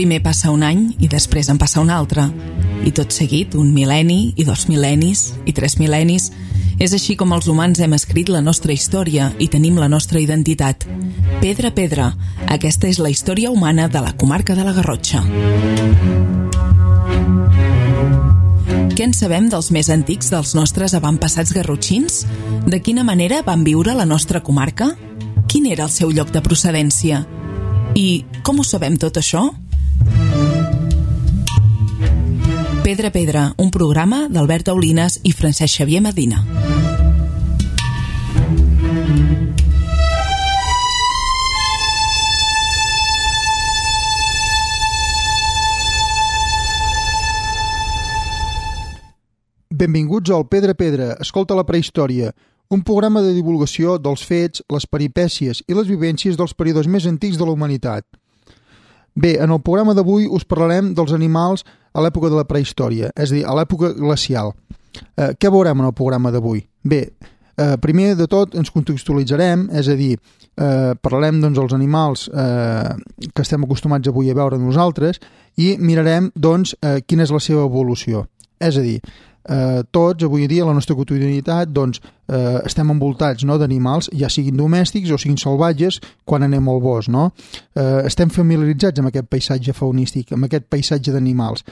Primer passa un any i després en passa un altre. I tot seguit, un mil·lenni, i 2 mil·lennis, i 3 mil·lennis. És així com els humans hem escrit la nostra història i tenim la nostra identitat. Pedra a pedra, aquesta és la història humana de la comarca de la Garrotxa. Què en sabem dels més antics dels nostres avantpassats garrotxins? De quina manera van viure la nostra comarca? Quin era el seu lloc de procedència? I com ho sabem tot això? Pedra a pedra, un programa d'Albert Aulines i Francesc Xavier Medina. Benvinguts al Pedra a pedra, escolta la prehistòria, un programa de divulgació dels fets, les peripècies i les vivències dels períodes més antics de la humanitat. Bé, en el programa d'avui us parlarem dels animals a l'època de la prehistòria, és a dir, a l'època glacial. Què veurem en el programa d'avui? Bé, primer de tot ens contextualitzarem, és a dir, parlarem dels animals que estem acostumats avui a veure nosaltres i mirarem quina és la seva evolució. És a dir, tots avui dia a la nostra quotidianitat estem envoltats d'animals, ja siguin domèstics o siguin salvatges quan anem al bosc, estem familiaritzats amb aquest paisatge faunístic, amb aquest paisatge d'animals,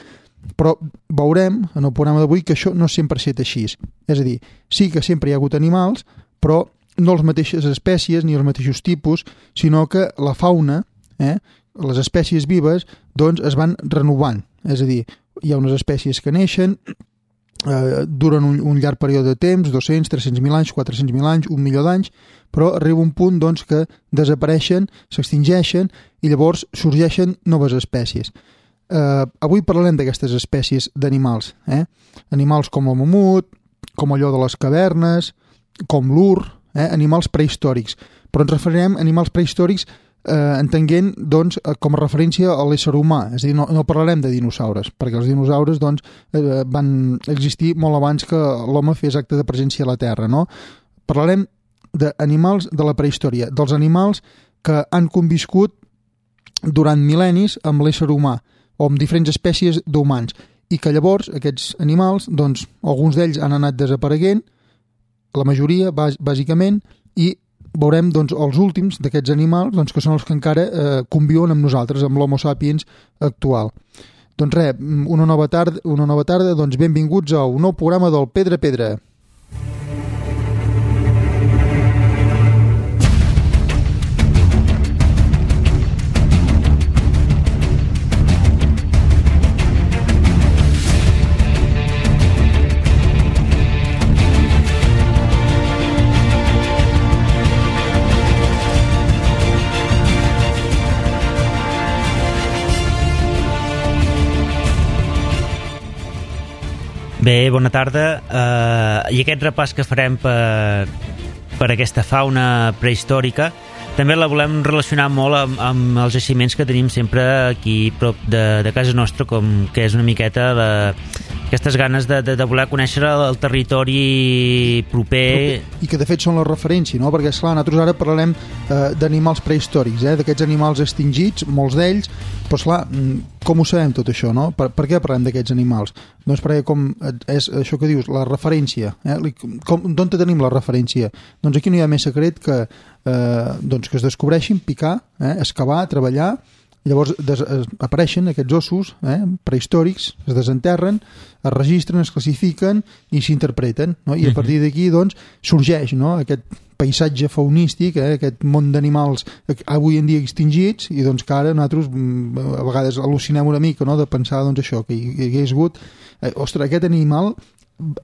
però veurem en el programa d'avui que això no sempre ha estat així, és a dir, sí que sempre hi ha hagut animals, però no les mateixes espècies ni els mateixos tipus, sinó que la fauna, les espècies vives, es van renovant, és a dir, hi ha unes espècies que neixen, duren un llarg període de temps, 200, 300.000 anys, 400.000 anys, 1 milió d'anys, però arriba un punt que desapareixen, s'extingeixen i llavors sorgeixen noves espècies. Avui parlarem d'aquestes espècies d'animals, animals com el mamut, com allò de les cavernes, com l'ur, animals prehistòrics, però ens referirem a animals prehistòrics entenent com a referència a l'ésser humà, és a dir, no parlarem de dinosaures, perquè els dinosaures van existir molt abans que l'home fes acte de presència a la Terra, no? Parlarem d'animals de la prehistòria, dels animals que han conviscut durant mil·lennis amb l'ésser humà o amb diferents espècies d'humans i que llavors aquests animals, alguns d'ells han anat desapareguent, la majoria bàsicament, i veurem els últims d'aquests animals que són els que encara conviuen amb nosaltres, amb l'Homo sapiens actual. Doncs res, una nova tarda, benvinguts a un nou programa del Pedra a pedra. Bé, bona tarda. I aquest repàs que farem per aquesta fauna prehistòrica també la volem relacionar molt amb els jaciments que tenim sempre aquí prop de casa nostra, com que és una miqueta aquestes ganes de voler conèixer el territori proper. I que de fet són la referència, no? Perquè esclar, nosaltres ara parlarem d'animals prehistòrics, d'aquests animals extingits, molts d'ells, però esclar, com ho sabem tot això, no? Per què parlem d'aquests animals? Doncs perquè com és això que dius, la referència, d'on tenim la referència? Doncs aquí no hi ha més secret que es descobreixin, picar, excavar, treballar. Llavors apareixen aquests ossos prehistòrics, es desenterren, es registren, es classifiquen i s'interpreten, no? I a partir d'aquí sorgeix aquest paisatge faunístic, aquest món d'animals avui en dia extingits i que ara nosaltres a vegades al·lucinem una mica, no? De pensar això, que hi hagués hagut ostres, aquest animal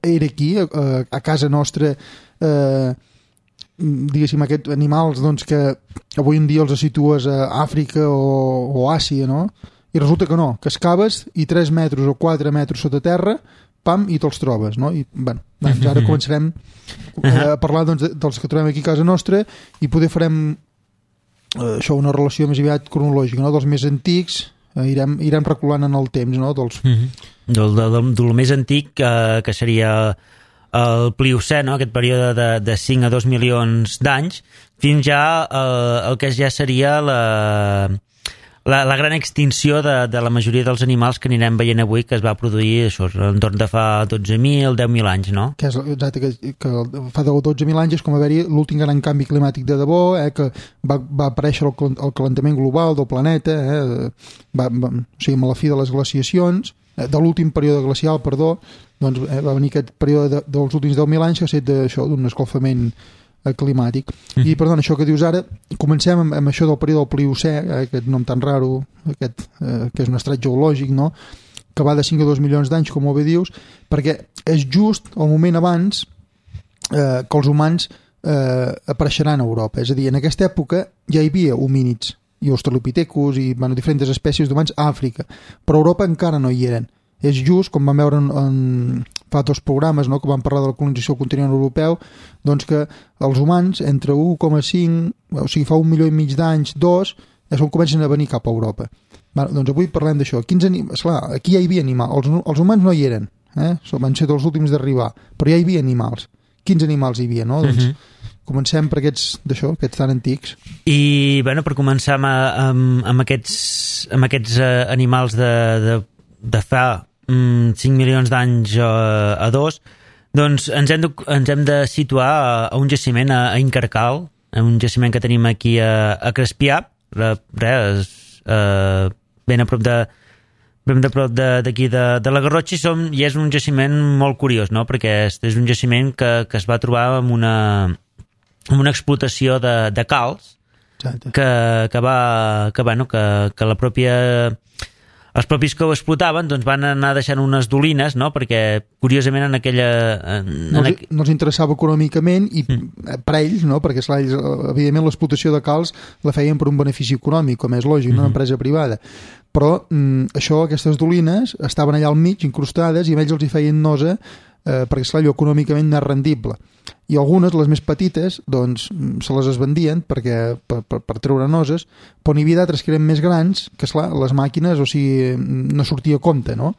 era aquí a casa nostra, diguéssim, aquests animals que avui en dia els situes a Àfrica o Àsia, no? I resulta que no, que excaves i 3 metres o 4 metres sota terra, pam, i te'ls trobes, no? I ara començarem a parlar dels que trobem aquí a casa nostra i poder farem això, una relació més aviat cronològica, no? Dels més antics, irem reculant en el temps, no? Del més antic, que seria el Pliocè, no? Aquest període de 5 a 2 milions d'anys, fins ja el que ja seria la gran extinció de la majoria dels animals que anirem veient avui, que es va produir això, entorn de fa 12.000, 10.000 anys, no? Que és exacte, que fa 12.000 anys és com haver-hi l'últim gran canvi climàtic de debò, que va aparèixer el calentament global del planeta, o sigui, amb la fi de les glaciacions, de l'últim període glacial, doncs va venir aquest període dels últims 10.000 anys que ha estat d'un escalfament climàtic. I, perdona, això que dius ara, comencem amb això del període del Pliocè, aquest nom tan raro, que és un estrat geològic, no?, que va de 5 a 2 milions d'anys, com bé dius, perquè és just el moment abans que els humans apareixeran a Europa. És a dir, en aquesta època ja hi havia homínids i australopithecus i diferents espècies d'humans a Àfrica, però a Europa encara no hi eren. És just, com vam veure fa 2 programes, no?, que vam parlar de la colonització del continent europeu, doncs que els humans entre 1,5, o sigui, fa 1,5 milió d'anys, 2, és on comencen a venir cap a Europa. Doncs avui parlem d'això. Esclar, aquí ja hi havia animals. Els humans no hi eren, van ser els últims d'arribar, però ja hi havia animals. Quins animals hi havia, no? Doncs comencem per aquests tan antics. I, bueno, per començar amb aquests animals de fa 5 milions d'anys a 2, doncs ens hem de situar a un jaciment a Incarcal, un jaciment que tenim aquí a Crespià, ben a prop d'aquí de la Garrotxa, i és un jaciment molt curiós, no?, perquè és un jaciment que es va trobar amb una explotació de calç que la pròpia... Els propis que ho explotaven doncs van anar deixant unes dolines, no?, perquè curiosament en aquella... No els interessava econòmicament i per ells, no?, perquè esclar, ells, evidentment l'explotació de calç la feien per un benefici econòmic, com és lògic, una empresa privada. Però aquestes dolines estaven allà al mig, incrustades, i a ells els hi feien nosa perquè esclar, allò econòmicament no és rendible. I algunes, les més petites, doncs se les vendien per treure noses, però n'hi havia d'altres que eren més grans, que esclar, les màquines, o sigui, no sortia a compte, no?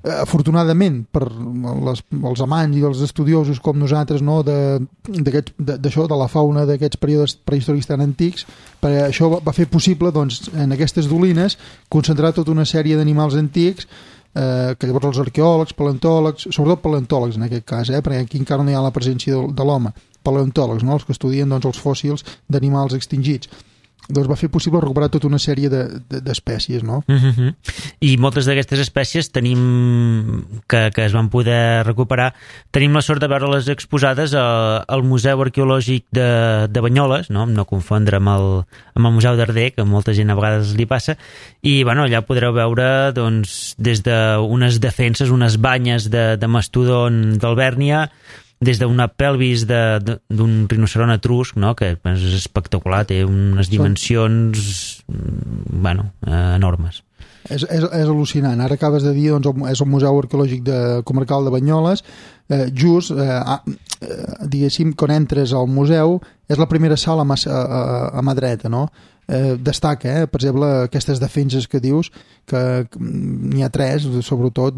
Afortunadament, per els amants i els estudiosos com nosaltres, no, d'això, de la fauna d'aquests períodes prehistòrics tan antics, perquè això va fer possible, doncs, en aquestes dolines, concentrar tota una sèrie d'animals antics que llavors els arqueòlegs, paleontòlegs, sobretot paleontòlegs en aquest cas, perquè aquí encara no hi ha la presència de l'home, paleontòlegs, no? Els que estudien doncs, els fòssils d'animals extingits. Doncs va fer possible recuperar tota una sèrie d'espècies, no? I moltes d'aquestes espècies que es van poder recuperar, tenim la sort de veure-les exposades al Museu Arqueològic de Banyoles, no confondre amb el Museu d'Arder, que molta gent a vegades li passa, i bueno, allà podreu veure doncs, des d'unes defenses, unes banyes de mastodon d'Albèrnia, des d'una pelvis d'un rinoceront etrusc, no?, que és espectacular, té unes dimensions enormes. És al·lucinant. Ara acabes de dir, doncs, és el Museu Arqueològic Comarcal de Banyoles, just, diguéssim, quan entres al museu, és la primera sala a mà dreta, no? Destaca, per exemple, aquestes defenses que dius, que n'hi ha 3, sobretot,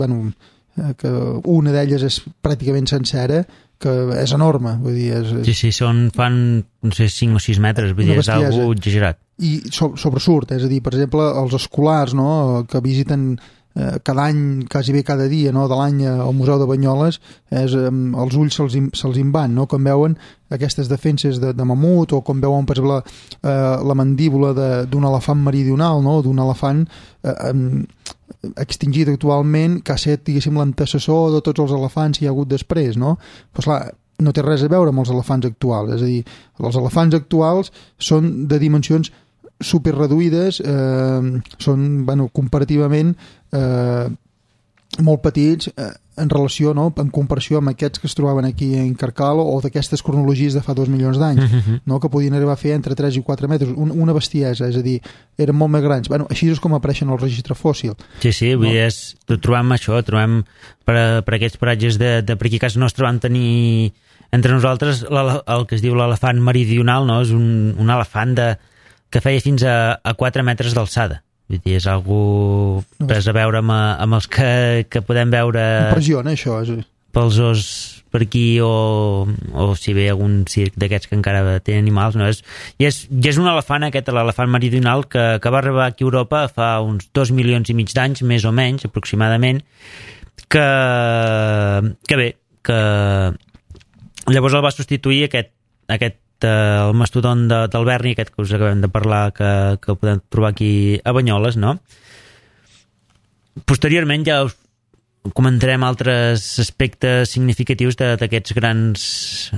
que una d'elles és pràcticament sencera, que és enorme, vull dir... Sí, fan, no sé, 5 o 6 metres, vull dir, és algo exagerat. I sobresurt, és a dir, per exemple, els escolars, no?, que visiten cada any, quasi bé cada dia, no?, de l'any al Museu de Banyoles, els ulls se'ls en van, no?, quan veuen aquestes defenses de mamut, o quan veuen, per exemple, la mandíbula d'un elefant meridional, no?, d'un elefant extingit actualment, que ha estat, diguéssim, l'antecessor de tots els elefants que hi ha hagut després, no? Però, esclar, no té res a veure amb els elefants actuals, és a dir, els elefants actuals són de dimensions superreduïdes, són, comparativament molt petits en relació, no?, en comparació amb aquests que es trobaven aquí en Carcal o d'aquestes cronologies de fa 2 milions d'anys, no?, que podien arribar a fer entre 3 i 4 metres, una bestiesa, és a dir, eren molt més grans. Així és com apareixen el registre fòssil. Sí, vull dir, trobem això, trobem per aquests paratges de per aquí a casa nostra vam tenir entre nosaltres el que es diu l'elefant meridional, no?, és un elefant que feia fins a 4 metres d'alçada. Vull dir, és algo res a veure amb els que podem veure... Impressiona, això. Per per aquí o si ve algun circ d'aquests que encara té animals, no? I és un elefant, l'elefant meridional, que va arribar aquí a Europa fa uns 2 milions i mig d'anys, més o menys, aproximadament, que bé, que llavors el va substituir el mastodont d'Alberni, aquest que us acabem de parlar, que podem trobar aquí a Banyoles, no? Posteriorment ja us comentarem altres aspectes significatius d'aquests grans...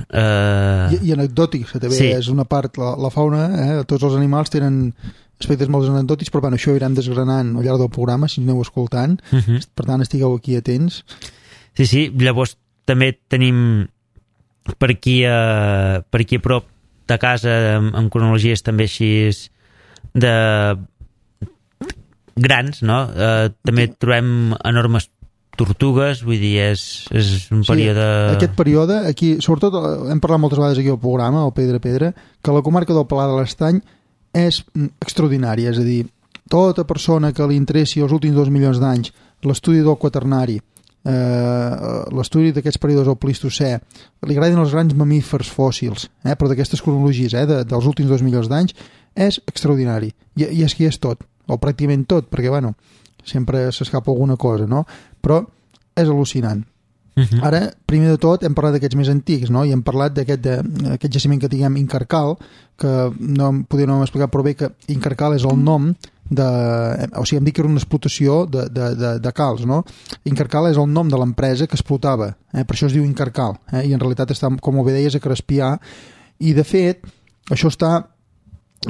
I anecdòtics, que també sí. És una part, la fauna, tots els animals tenen aspectes molt anecdòtics, però bueno, això ho irem desgranant al llarg del programa, si aneu escoltant, per tant estigueu aquí atents. Sí, llavors també tenim per aquí a prop de casa, amb cronologies també així de grans, no? També trobem enormes tortugues, vull dir, és un període... Sí, aquest període, aquí, sobretot, hem parlat moltes vegades aquí al programa, al Pedra, que la comarca del Pla de l'Estany és extraordinària, és a dir, tota persona que li interessi els últims 2 milions d'anys l'estudi del quaternari, l'estudi d'aquests períodes del Plistocè, li agraden els grans mamífers fòssils, però d'aquestes cronologies, dels últims 2 milions d'anys, és extraordinari. I és que és tot, o pràcticament tot, perquè, bueno, sempre s'escapa alguna cosa, no? Però és al·lucinant. Ara, primer de tot, hem parlat d'aquests més antics, no? I hem parlat d'aquest jaciment que diguem Incarcal, que potser no hem explicat prou bé que Incarcal és el nom o sigui, hem dit que era una explotació de calç, no? Incarcal és el nom de l'empresa que explotava, per això es diu Incarcal, i en realitat està, com bé deies, a Crespià, i de fet, això està,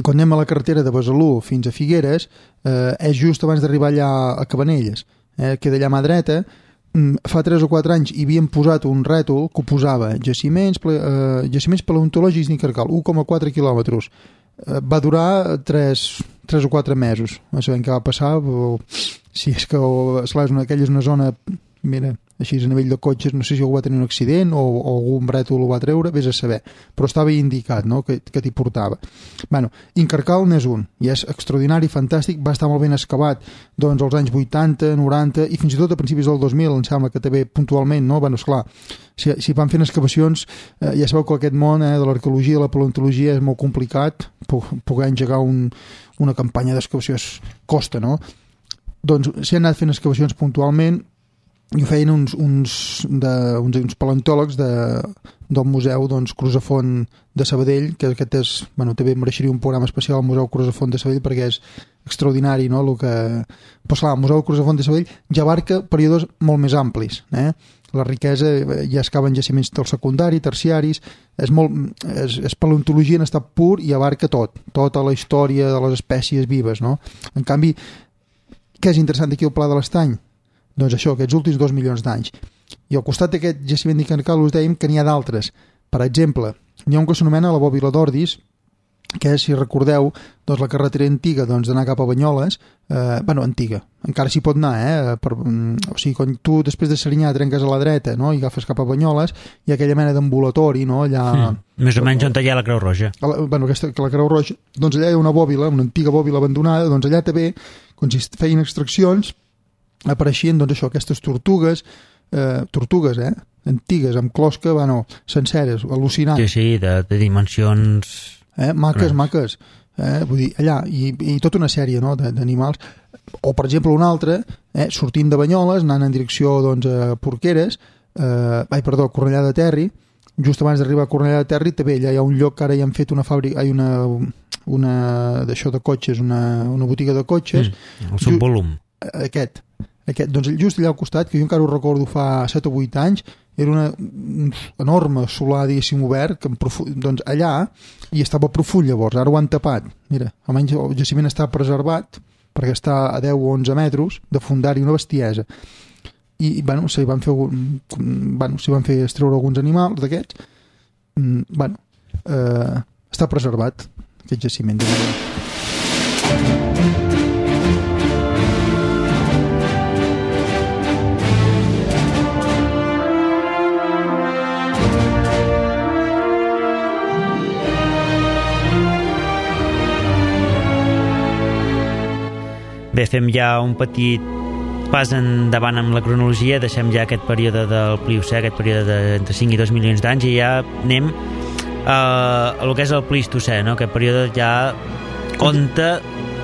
quan anem a la carretera de Besalú fins a Figueres, és just abans d'arribar allà a Cabanelles, queda allà a mà dreta. Fa 3 o 4 anys hi havien posat un rètol que ho posava jaciments paleontològics d'Incarcal, 1,4 quilòmetres. Va durar 3 o 4 mesos, no sabem què va passar, si és que aquella és una zona, mira, així a nivell de cotxes, no sé si algú va tenir un accident o algun brètol ho va treure, vés a saber, però estava indicat, no?, que t'hi portava. Bueno, Incarcal n'és un, i és extraordinari, fantàstic, va estar molt ben excavat doncs als anys 80, 90 i fins i tot a principis del 2000, em sembla que també puntualment, no? Bueno, esclar, si van fent excavacions, ja sabeu que aquest món de l'arqueologia i la paleontologia és molt complicat, poder engegar una campanya d'excavació costa, no? Doncs s'hi han anat fent excavacions puntualment, i ho feien uns paleontòlegs del Museu Crusafont de Sabadell, que aquest és, bueno, també mereixeria un programa especial al Museu Crusafont de Sabadell perquè és extraordinari, no? Però clar, el Museu Crusafont de Sabadell ja abarca períodes molt més amplis, la riquesa, ja es caben jaciments del secundari, terciaris, és paleontologia en estat pur i abarca tota la història de les espècies vives, no? En canvi, què és interessant aquí al Pla de l'Estany? Doncs això, aquests últims 2 milions d'anys. I al costat d'aquest jaciment d'Incarcal us dèiem que n'hi ha d'altres. Per exemple, n'hi ha un que s'anomena la Bòbila d'Ordis, que és, si recordeu, doncs la carretera antiga d'anar cap a Banyoles, antiga, encara s'hi pot anar, o sigui, quan tu després de Serinyà trenques a la dreta, no?, i agafes cap a Banyoles, hi ha aquella mena d'ambulatori, no?, allà... Més o menys on hi ha la Creu Roja. La Creu Roja, doncs allà hi ha una bòbila, una antiga bòbila abandonada, doncs allà també, quan s'hi feien extraccions, apareixien, doncs això, aquestes tortugues, antigues, amb closca, senceres, al·lucinant. Sí, de dimensions... Maques. Vull dir, allà, i tota una sèrie, no?, d'animals. O, per exemple, un altre, sortint de Banyoles, anant en direcció, doncs, a Porqueres, Cornellà de Terri, just abans d'arribar a Cornellà de Terri, també allà hi ha un lloc que ara hi han fet una fàbrica, una d'això de cotxes, una botiga de cotxes. El subvolum. Aquest, doncs just allà al costat, que jo encara ho recordo fa 7 o 8 anys, era un enorme solar, diguéssim, obert, que doncs allà hi estava profund llavors, ara ho han tapat. Mira, almenys el jaciment està preservat, perquè està a 10 o 11 metres de fondari, una bestiesa. I, s'hi van fer extreure alguns animals d'aquests. Està preservat, aquest jaciment. Bé, fem ja un petit pas endavant amb la cronologia, deixem ja aquest període del Pliocè, aquest període d'entre 5 i 2 milions d'anys, i ja anem a el que és el Plistocè, no? Aquest període ja on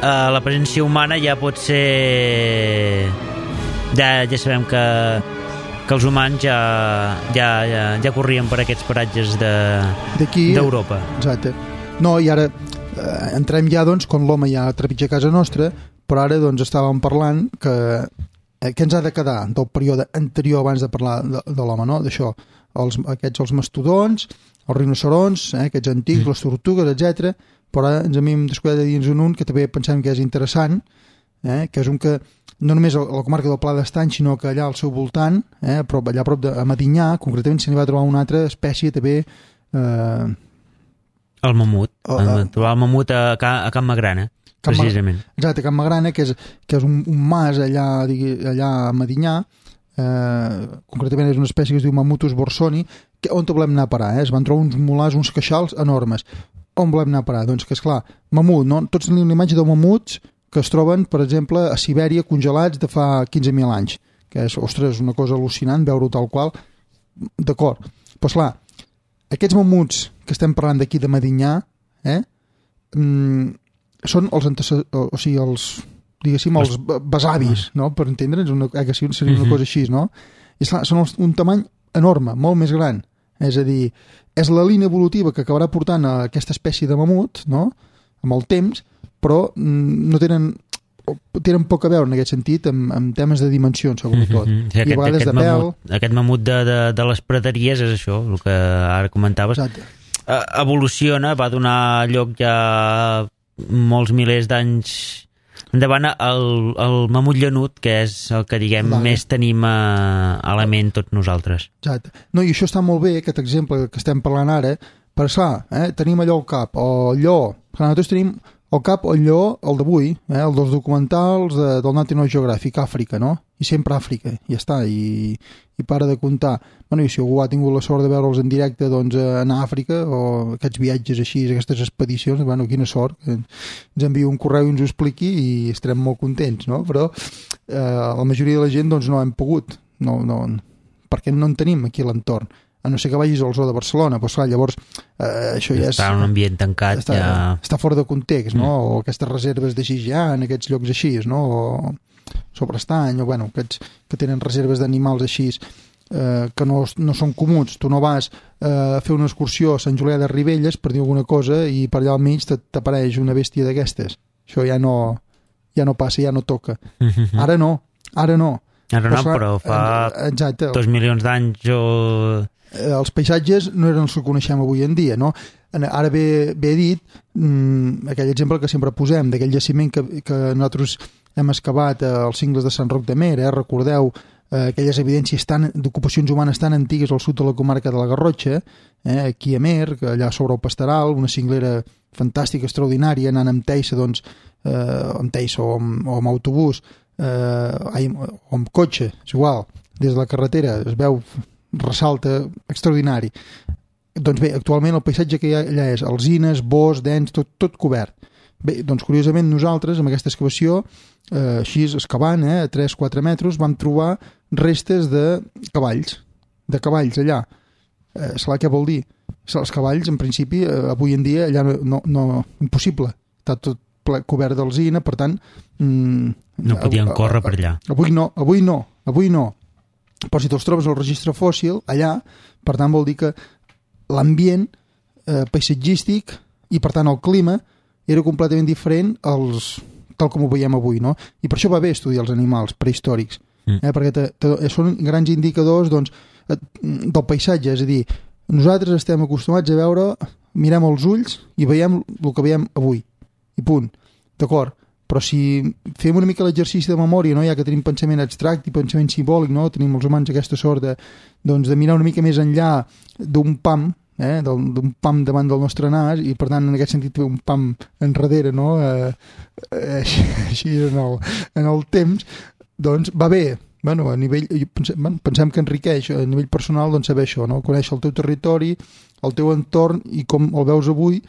la presència humana ja pot ser... Ja sabem que els humans ja corrien per aquests paratges d'Europa. Exacte. No, i ara entrem ja, doncs, quan l'home ja trepitja a casa nostra, però ara, doncs, estàvem parlant que què ens ha de quedar del període anterior abans de parlar de l'home, no? D'això, els mastodons, els rinocerons, aquests antics, les tortugues, etc. Però ara ens hem descuidat de dir-nos un que també pensem que és interessant, que és un que no només a la comarca del Pla d'Estany, sinó que allà al seu voltant, allà a prop de Medinyà, concretament se n'hi va trobar una altra espècie també... El mamut. Trobar el mamut a Can Magrana, precisament. Exacte, a Can Magrana, que és un mas allà a Medinyà, concretament és una espècie que es diu Mammutus borsoni, on volem anar a parar? Es van trobar uns molars, uns queixals enormes. On volem anar a parar? Doncs que, esclar, mamut, no? Tots tenim una imatge de mamuts que es troben, per exemple, a Sibèria congelats de fa 15.000 anys, que és, ostres, una cosa al·lucinant veure-ho tal qual. D'acord. Però, esclar, aquests mamuts que estem parlant d'aquí de Medinyà, són els diguéssim, els besavis, no? Per entendre'ns, que seria una cosa així, no? I, esclar, són un tamany enorme, molt més gran. És a dir, és la línia evolutiva que acabarà portant a aquesta espècie de mamut, no? Amb el temps, però no tenen poc a veure en aquest sentit amb temes de dimensions, sobretot. Sí, I a vegades de pèl. Aquest mamut de les praderies és això, el que ara comentaves. Exacte. Evoluciona, va donar lloc ja molts milers d'anys endavant al mamut llanut, que és el que, diguem, més tenim a la ment tots nosaltres. Exacte. No, i això està molt bé, aquest exemple que estem parlant ara, per tenim allò al cap, o allò, nosaltres tenim al cap el lleó, el d'avui, el dels documentals del National Geographic, Àfrica, no? I sempre Àfrica, ja està, i para de comptar. Bueno, i si algú ha tingut la sort de veure'ls en directe, doncs, anar a Àfrica, o aquests viatges així, aquestes expedicions, bueno, quina sort, que ens enviï un correu i ens ho expliqui i estarem molt contents, no? Però la majoria de la gent, doncs, no hem pogut, no, perquè no en tenim aquí a l'entorn. A no ser que vagis al zoo de Barcelona, però clar, llavors això ja està en un ambient tancat, està fora de context, no? O aquestes reserves de Xi'an, aquests llocs així, no? O Sobrestany, o bueno, aquests que tenen reserves d'animals així que no són comuns. Tu no vas a fer una excursió a Sant Julià de Ribelles, per dir alguna cosa, i per allà al mig t'apareix una bèstia d'aquestes. Això ja no passa, ja no toca. Ara no. Ara no, però fa 2 milions d'anys els paisatges no eren els que coneixem avui en dia, no? Ara ve dit aquell exemple que sempre posem, d'aquell jaciment que nosaltres hem excavat als cingles de Sant Roc de Mer, recordeu aquelles evidències d'ocupacions humanes tan antigues al sud de la comarca de la Garrotxa, aquí a Mer, allà sobre el Pasteral, una cinglera fantàstica, extraordinària, anant amb Teissa, doncs, amb Teissa o amb autobús, o amb cotxe, és igual, des de la carretera es veu, ressalta, extraordinari. Doncs bé, actualment el paisatge que hi ha allà és alzines, bosc, dens, tot cobert. Bé, doncs curiosament nosaltres amb aquesta excavació, així excavant a 3-4 metres, vam trobar restes de cavalls allà. Saps què vol dir? Els cavalls, en principi, avui en dia allà no impossible, està tot cobert d'alzina, per tant no podien córrer per allà. Avui no. Però si te'ls trobes al registre fòssil allà, per tant vol dir que l'ambient paisatgístic i per tant el clima era completament diferent tal com ho veiem avui, no? I per això va bé estudiar els animals prehistòrics, perquè són grans indicadors, doncs, del paisatge, és a dir, nosaltres estem acostumats a veure, mirem els ulls i veiem el que veiem avui, i punt, d'acord? Però si fem una mica l'exercici de memòria, no? Ja que tenim pensament abstracte i pensament simbòlic, no? Tenim els humans aquesta sort de mirar una mica més enllà d'un pam, d'un pam davant del nostre nas, i per tant en aquest sentit un pam enrere, no? Així en el temps, doncs va bé. Bueno, a nivell, pensem que enriqueix a nivell personal, doncs, saber això, no? Conèixer el teu territori, el teu entorn i com el veus avui,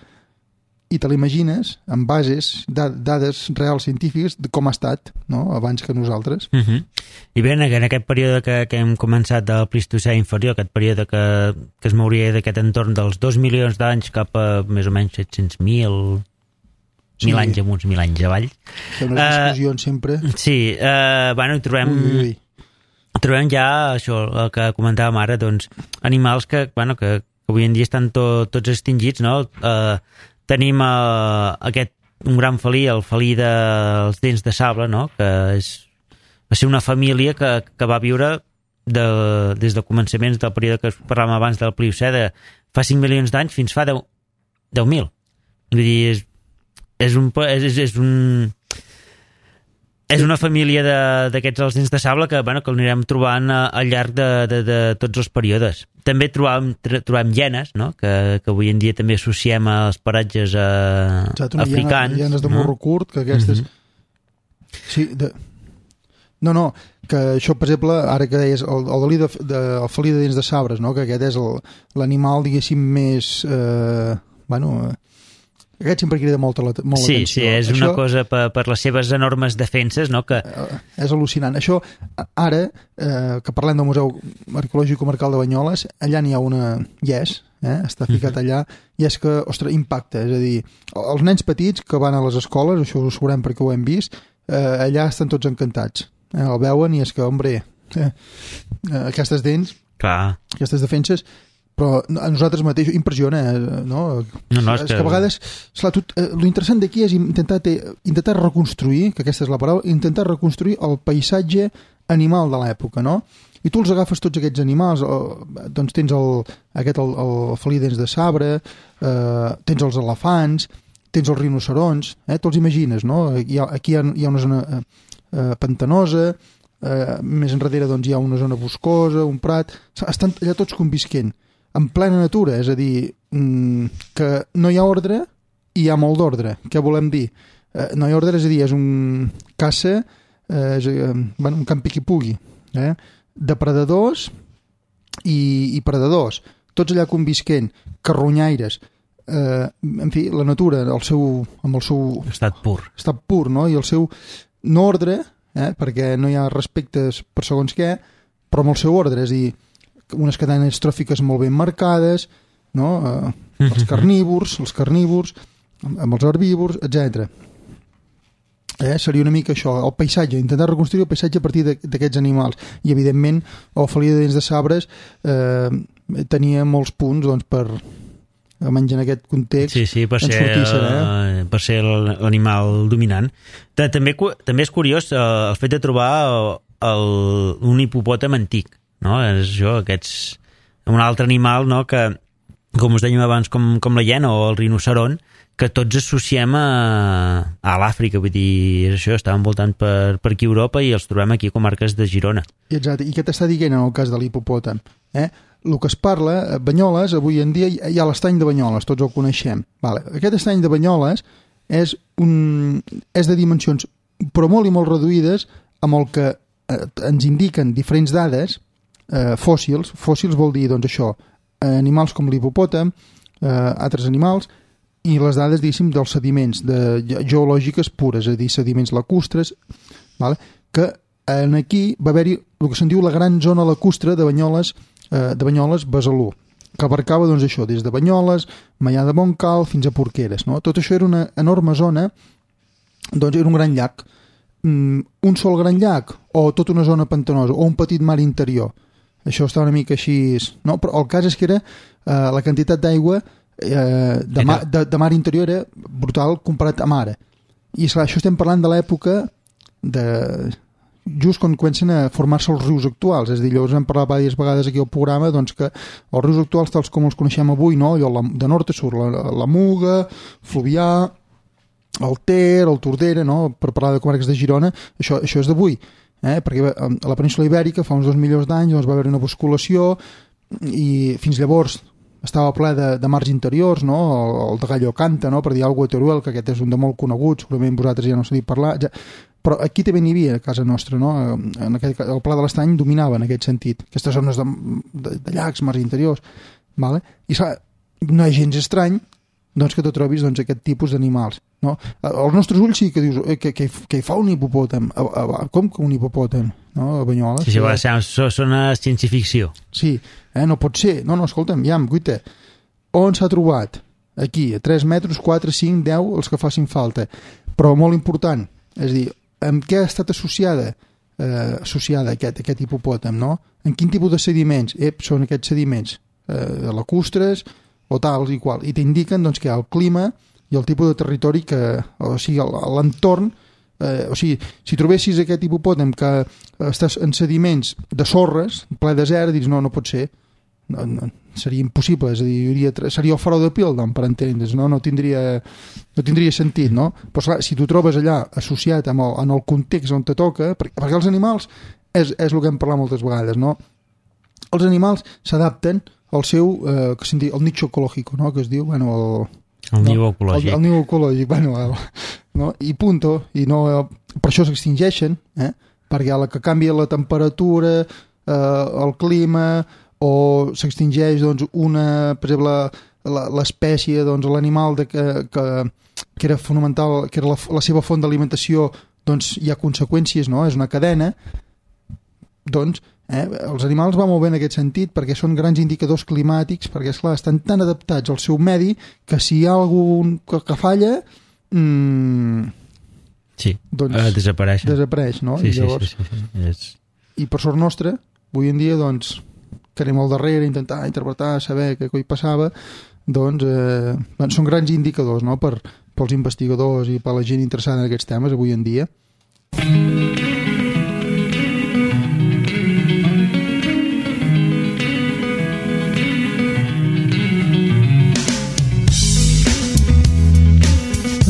i te l'imagines amb bases, dades reals científiques de com ha estat, no?, abans que nosaltres. I bé, en aquest període que hem començat del Plistocè inferior, aquest període que es mouria d'aquest entorn dels 2 milions d'anys cap a més o menys 700.000 1.000 anys amunt, 1.000 anys avall. Hi ha unes discussions sempre. Sí, bueno, trobem ja això, el que comentàvem ara, doncs, animals que avui en dia estan tots extingits, no? Tenim un gran felí, el felí dels dents de sable, no?, que va ser una família que va viure des de començaments del període que parlàvem abans del Pliocè, de fa 5 milions d'anys fins fa 10.000. Vull dir, és una família d'aquests els dents de sable que anirem trobant al llarg de tots els períodes. També trobem hienes, no?, que avui en dia també associem als paratges africans. Hienes de morro curt, que aquestes... Sí, No, que això, per exemple, ara que deies el felí de dents de sabres, no?, que aquest és l'animal, diguéssim, més... Aquest sempre crida molt l'atenció. Sí, és una cosa per les seves enormes defenses, no? Que... És al·lucinant. Això, ara, que parlem del Museu Arqueològic Comarcal de Banyoles, allà n'hi ha una està ficat allà, i és que, ostres, impacta. És a dir, els nens petits que van a les escoles, això ho sabrem perquè ho hem vist, allà estan tots encantats. El veuen i és que, aquestes dents, aquestes defenses, però a nosaltres mateix impressiona, no? És que a vegades, l'interessant d'aquí és intentar reconstruir, que aquesta és la paraula, intentar reconstruir el paisatge animal de l'època, no? I tu els agafes tots aquests animals, doncs tens el felí dents de sabre, tens els elefants, tens els rinocerons, te'ls imagines, no? Aquí hi ha una zona pantanosa, més enrere doncs hi ha una zona boscosa, un prat, estan allà tots convisquent en plena natura, és a dir, que no hi ha ordre i hi ha molt d'ordre. Què volem dir? No hi ha ordre, és a dir, és un caça, un campi qui pugui, depredadors i predadors, tots allà convisquent, carronyaires, en fi, la natura amb el seu estat pur, no? I el seu no ordre, perquè no hi ha respectes per segons què, però amb el seu ordre, és a dir, unes cadenes tròfiques molt ben marcades, no? Els carnívors, amb els herbívors, etc. Seria una mica això, el paisatge, intentar reconstruir el paisatge a partir d'aquests animals. I, evidentment, el felí de dents de sabres tenia molts punts doncs, per almenys en aquest context per ser l'animal dominant. També és curiós el fet de trobar un hipopòtam antic, no? És això, un altre animal, no?, que, com us dèiem abans, com la hiena o el rinoceron, que tots associem a l'Àfrica, vull dir, és això, estaven voltant per aquí a Europa i els trobem aquí a comarques de Girona. Exacte, i què t'està dient en el cas de l'hipopòtam? El que es parla, a Banyoles, avui en dia hi ha l'estany de Banyoles, tots el coneixem. Aquest estany de Banyoles és de dimensions, però molt i molt reduïdes, amb el que ens indiquen diferents dades, fòssils vol dir, doncs això, animals com l'hipopòtam, altres animals, i les dades, diguéssim, dels sediments geològiques pures, és a dir, sediments lacustres, que aquí va haver-hi el que se'n diu la gran zona lacustre de Banyoles-Besalú, que abarcava, doncs això, des de Banyoles, Maià de Montcal, fins a Porqueres, no? Tot això era una enorme zona, doncs era un gran llac, un sol gran llac, o tota una zona pantanosa, o un petit mar interior. Això està una mica així, no? Però el cas és que era la quantitat d'aigua de mar interior era brutal comparat amb ara. I esclar, això estem parlant de l'època just quan comencen a formar-se els rius actuals, és a dir, llavors hem parlat diverses vegades aquí al programa, doncs que els rius actuals tals com els coneixem avui, no? Allò de nord a sud, la Muga, Fluvià, el Ter, el Tordera, no? Per parlar de comarques de Girona, això és d'avui. Perquè a la península Ibèrica fa uns 2 milions d'anys doncs va haver una basculació i fins llavors estava ple de mars interiors, no? El de Gallo Canta, no? Per dir alguna cosa, Teruel, que aquest és un de molt conegut, segurament vosaltres ja no sabeu parlar, però aquí també n'hi havia a casa nostra, no? El Pla de l'Estany dominava en aquest sentit, aquestes zones de llacs, mars interiors, vale? I no és gens estrany doncs que te trobis aquest tipus d'animals, no? Els nostres ulls sí que dius que hi fa un hipopòtam. Com que un hipopòtam? No? A Banyoles. Sí, sona ciència-ficció. Sí, no pot ser. No, escolta'm, guaita, on s'ha trobat? Aquí, a 3 metres, 4, 5, 10, els que facin falta. Però molt important, és a dir, amb què ha estat associada aquest hipopòtam, no? En quin tipus de sediments? Són aquests sediments lacustres o tals i qual. I t'indiquen doncs, que el clima i el tipus de territori o sigui, l'entorn, si trobessis aquest hipopòtam que estàs en sediments de sorres, ple desert, dius no pot ser. No, seria impossible, és a dir, seria el farol de Piltdown, per entendre's, no tindria sentit, no? Però clar, si tu trobes allà associat en el context on te toca, perquè els animals és el que hem parlat moltes vegades, no? Els animals s'adapten al seu el nicho ecológico, no? Que es diu, el niu ecològic. El niu ecològic, no? I punto, i no, per això s'extingeixen, perquè a la que canvia la temperatura, el clima, o s'extingeix doncs, per exemple, l'espècie, doncs, l'animal que era fonamental, que era la seva font d'alimentació, doncs hi ha conseqüències, no? És una cadena. Doncs els animals van molt bé en aquest sentit perquè són grans indicadors climàtics, perquè esclar, estan tan adaptats al seu medi que si hi ha algun que falla doncs desapareix, no? Sí, I llavors, sí. I per sort nostra, avui en dia doncs que anem al darrere, intentar interpretar, saber què coi passava, doncs són grans indicadors, no? Pels investigadors i per la gent interessada en aquests temes avui en dia.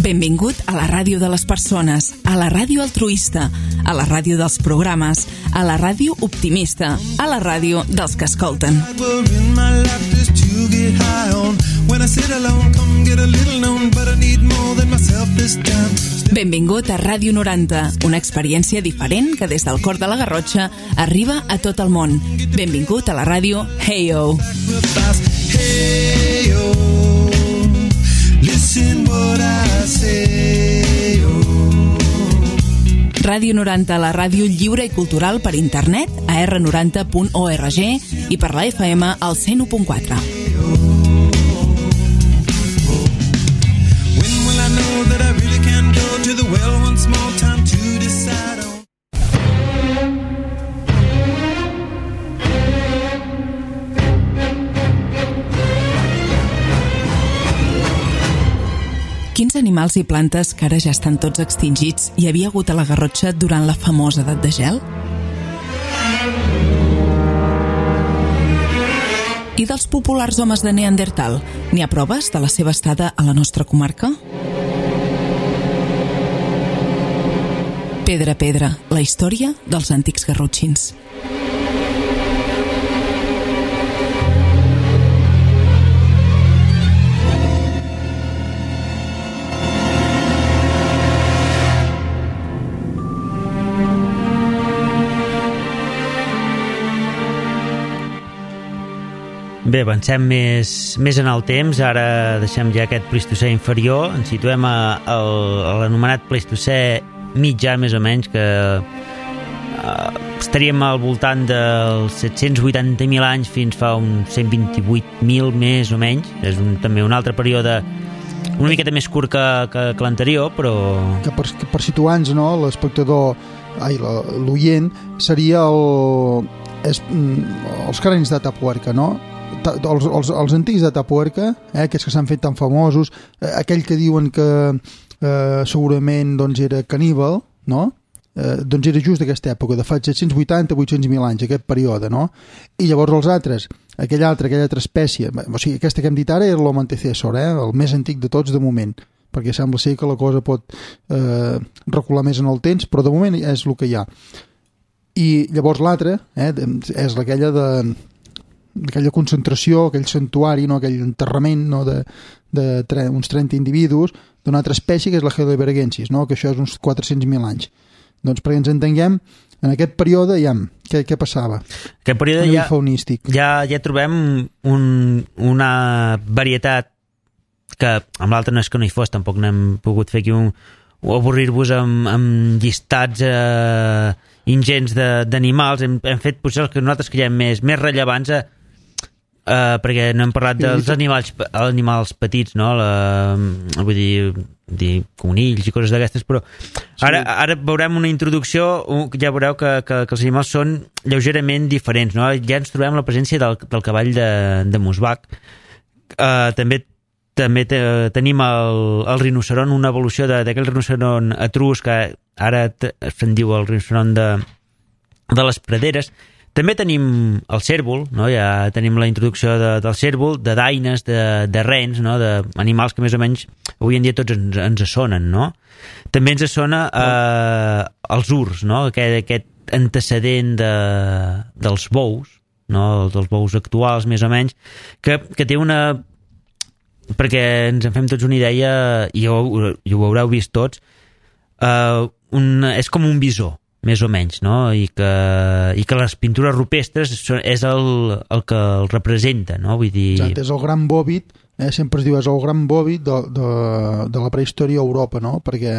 Benvingut a la ràdio de les persones, a la ràdio altruista, a la ràdio dels programes, a la ràdio optimista, a la ràdio dels que escolten. Benvingut a Ràdio 90, una experiència diferent que des del cor de la Garrotxa arriba a tot el món. Benvingut a la ràdio Hey-O. Ràdio 90, la ràdio lliure i cultural per internet a r90.org i per la FM al 101.4. Quins animals i plantes que ara ja estan tots extingits hi havia hagut a la Garrotxa durant la famosa edat de gel? I dels populars homes de Neandertal, n'hi ha proves de la seva estada a la nostra comarca? Pedra a pedra, la història dels antics garrotxins. Bé, avancem més en el temps, ara deixem ja aquest Plistocè inferior, ens situem a l'anomenat Plistocè mitjà, més o menys, que estaríem al voltant dels 780.000 anys fins fa uns 128.000 més o menys. És també un altre període una miqueta més curt que l'anterior, però... Que per situar-nos, no, l'espectador, l'oient, seria els cranis d'Atapuerca, no? Els antics d'Atapuerca, aquests que s'han fet tan famosos, aquell que diuen que segurament doncs, era caníbal, no? Doncs era just d'aquesta època, de fa 780-800.000 anys, aquest període, no? I llavors els altres, aquella altra espècie, o sigui, aquesta que hem dit ara era l'Homo antecessor, el més antic de tots de moment, perquè sembla ser que la cosa pot recular més en el temps, però de moment és el que hi ha. I llavors l'altre és aquella concentració, aquell santuari, no? Aquell enterrament, no? Uns 30 individus d'una altra espècie que és la Heidelbergensis, no? Que això és uns 400.000 anys. Doncs perquè ens entenguem, en aquest període què passava? Aquest període ja trobem una varietat que amb l'altre no és que no hi fos, tampoc n'hem pogut fer aquí avorrir-vos amb llistats ingents d'animals. Hem fet potser els que nosaltres creiem més rellevants, perquè no hem parlat dels animals petits, no? Vull dir conills i coses d'aquestes, però ara veurem una introducció, ja veureu que els animals són lleugerament diferents, no? Ja ens trobem la presència del cavall de Musbach. També tenim el rinoceron, una evolució d'aquell rinoceron etrusc, que ara se'n diu el rinoceron de les praderes. També tenim el cérvol, no? Ja tenim la introducció del cérvol, de daines, de rens, no? D'animals que més o menys avui en dia tots ens sonen, no? També ens sona els urs, no? Aquest antecedent dels bous, no? Dels bous actuals, més o menys, que té una... perquè ens en fem tots una idea, i ho haureu vist tots, és com un bisó, més o menys, no? I que les pintures rupestres és el que el representa, no? Vull dir... Exacte, és el gran bòvid, sempre es diu, és el gran bòvid de la prehistòria a Europa, no? Perquè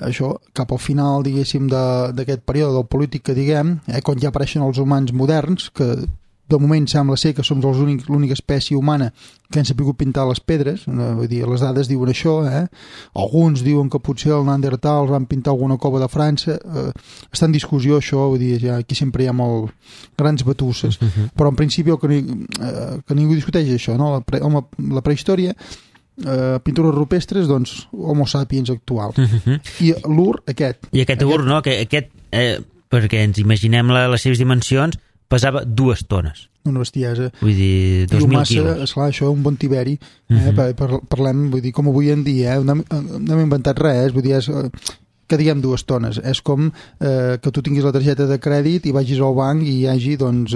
això, cap al final, diguéssim, d'aquest període del polític que diguem, quan ja apareixen els humans moderns, que de moment sembla ser que som l'única espècie humana que han sabut pintar les pedres, vull dir, les dades diuen això, alguns diuen que potser el Neandertal van pintar alguna cova de França, està en discussió això, vull dir, aquí sempre hi ha molt grans batusses, però en principi que ningú discuteix això, no? La prehistòria, pintures rupestres, doncs Homo sapiens actual, i l'ur aquest. I aquest ur, no? Perquè ens imaginem les seves dimensions, pesava 2 tones. Una bestiesa. Vull dir, 2.000 quilos. Esclar, això és un bon tiberi. Parlem, vull dir, com avui en dia, no hem inventat res, vull dir, que diguem 2 tones. És com que tu tinguis la targeta de crèdit i vagis al banc i hi hagi, doncs,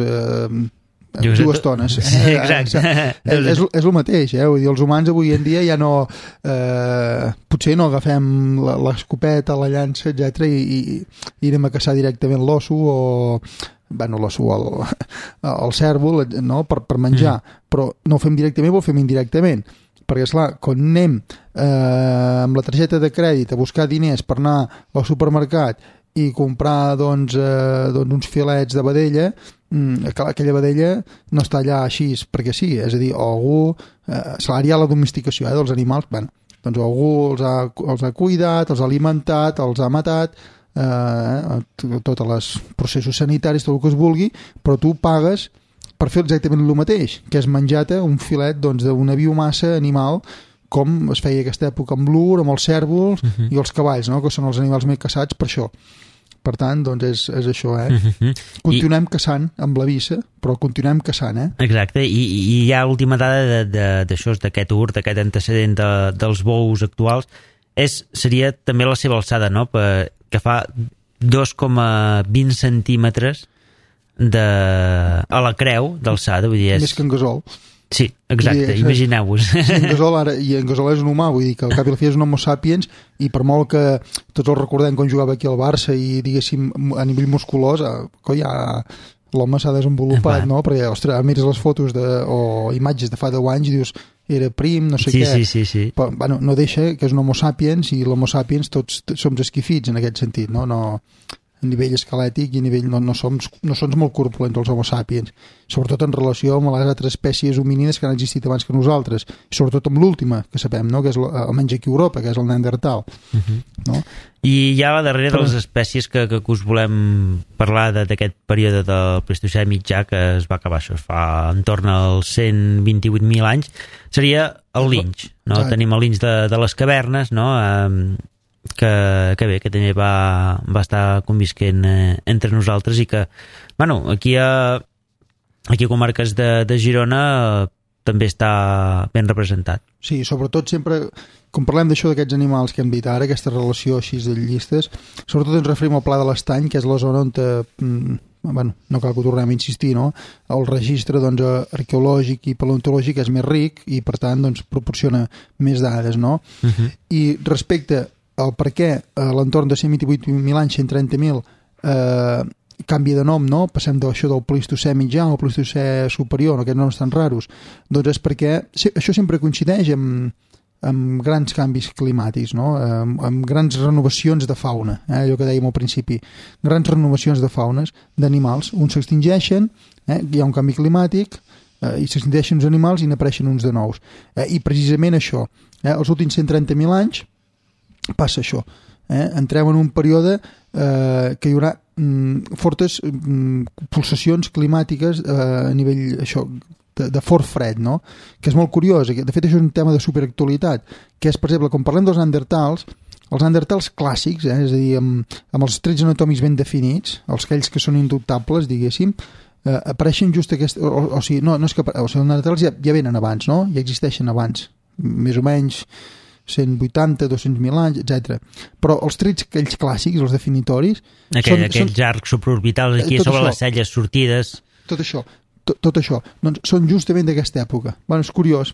2 tones. Sí, exacte. És el mateix, vull dir, els humans avui en dia ja no... potser no agafem l'escopeta, la llança, etc i anem a caçar directament l'osso o... l'osso, el cèrvol, no? per menjar, però no ho fem directament, ho fem indirectament, perquè esclar, quan anem amb la targeta de crèdit a buscar diners per anar al supermercat i comprar doncs uns filets de vedella, aquella vedella no està allà així perquè sí, és a dir, algú hi ha la domesticació dels animals, doncs algú els ha cuidat, els ha alimentat, els ha matat, tots els processos sanitaris, tot el que es vulgui, però tu pagues per fer exactament el mateix, que és menjar-te un filet d'una biomassa animal, com es feia aquesta època amb l'ur, amb els cèrvols i els cavalls, no? Que són els animals més caçats per això. Per tant, doncs és això, Continuem caçant amb la vissa, però continuem caçant, Exacte, i hi ha l'última dada d'això, d'aquest ur, d'aquest antecedent dels bous actuals, seria també la seva alçada, no? Que fa 2,20 centímetres a la creu d'alçada, vull dir... Més que en Gasol. Sí, exacte, imagineu-vos. Sí, en Gasol és un humà, vull dir que al cap i a la fi és un Homo sapiens, i per molt que tots el recordem quan jugava aquí al Barça i diguéssim a nivell musculós, l'home s'ha desenvolupat, no? Perquè, ostres, mires les fotos o imatges de fa 10 anys i dius, era prim, no sé què. Sí. Però, no deixa que és un Homo sapiens, i l'Homo sapiens tots som esquifits en aquest sentit, no? A nivell esquelètic i a nivell no som molt corpulents els Homo sapiens, sobretot en relació amb les altres espècies homínides que han existit abans que nosaltres, i sobretot amb l'última que sabem, no? Que és almenys aquí a Europa, que és el Neandertal, no? I ja la darrera de les espècies que us volem parlar d'aquest període del Plistocè mitjà, que es va acabar, això es fa entorn als 128.000 anys, seria el linx, no? Tenim el linx de les cavernes, no? Que bé, que també va estar convisquent entre nosaltres, i que, aquí a comarques de Girona també està ben representat. Sí, sobretot sempre, quan parlem d'això d'aquests animals que hem dit ara, aquesta relació així de llistes, sobretot ens referim al Pla de l'Estany, que és la zona on no cal que ho tornem a insistir, no? El registre arqueològic i paleontològic és més ric i per tant proporciona més dades, no? I respecte al per què a l'entorn de 128.000 anys, 130.000, canvia de nom, no? Passem d'això del Plistocè mitjà al Plistocè superior, no? Aquests noms tan raros. Doncs és perquè això sempre coincideix amb grans canvis climàtics, no? Amb grans renovacions de fauna, allò que dèiem al principi, grans renovacions de faunes, d'animals. Uns s'extingeixen, hi ha un canvi climàtic, i s'extingeixen uns animals i n'apareixen uns de nous. I precisament això, els últims 130.000 anys passa això. Entrem en un període que hi haurà fortes pulsacions climàtiques a nivell això, de fort fred, no? Que és molt curiós. De fet, això és un tema de superactualitat, que és, per exemple, quan parlem dels neandertals, els neandertals clàssics, és a dir, amb els trets anatòmics ben definits, aquells que són indubtables, diguéssim, apareixen just aquest... O sigui, no és que... O sigui, els neandertals ja venen abans, no? Ja existeixen abans, més o menys 180, 200.000 anys, etc. Però els trets aquells clàssics, els definitoris... Aquells arcs supraorbitals aquí sobre les celles sortides... Tot això, doncs són justament d'aquesta època. Bueno, és curiós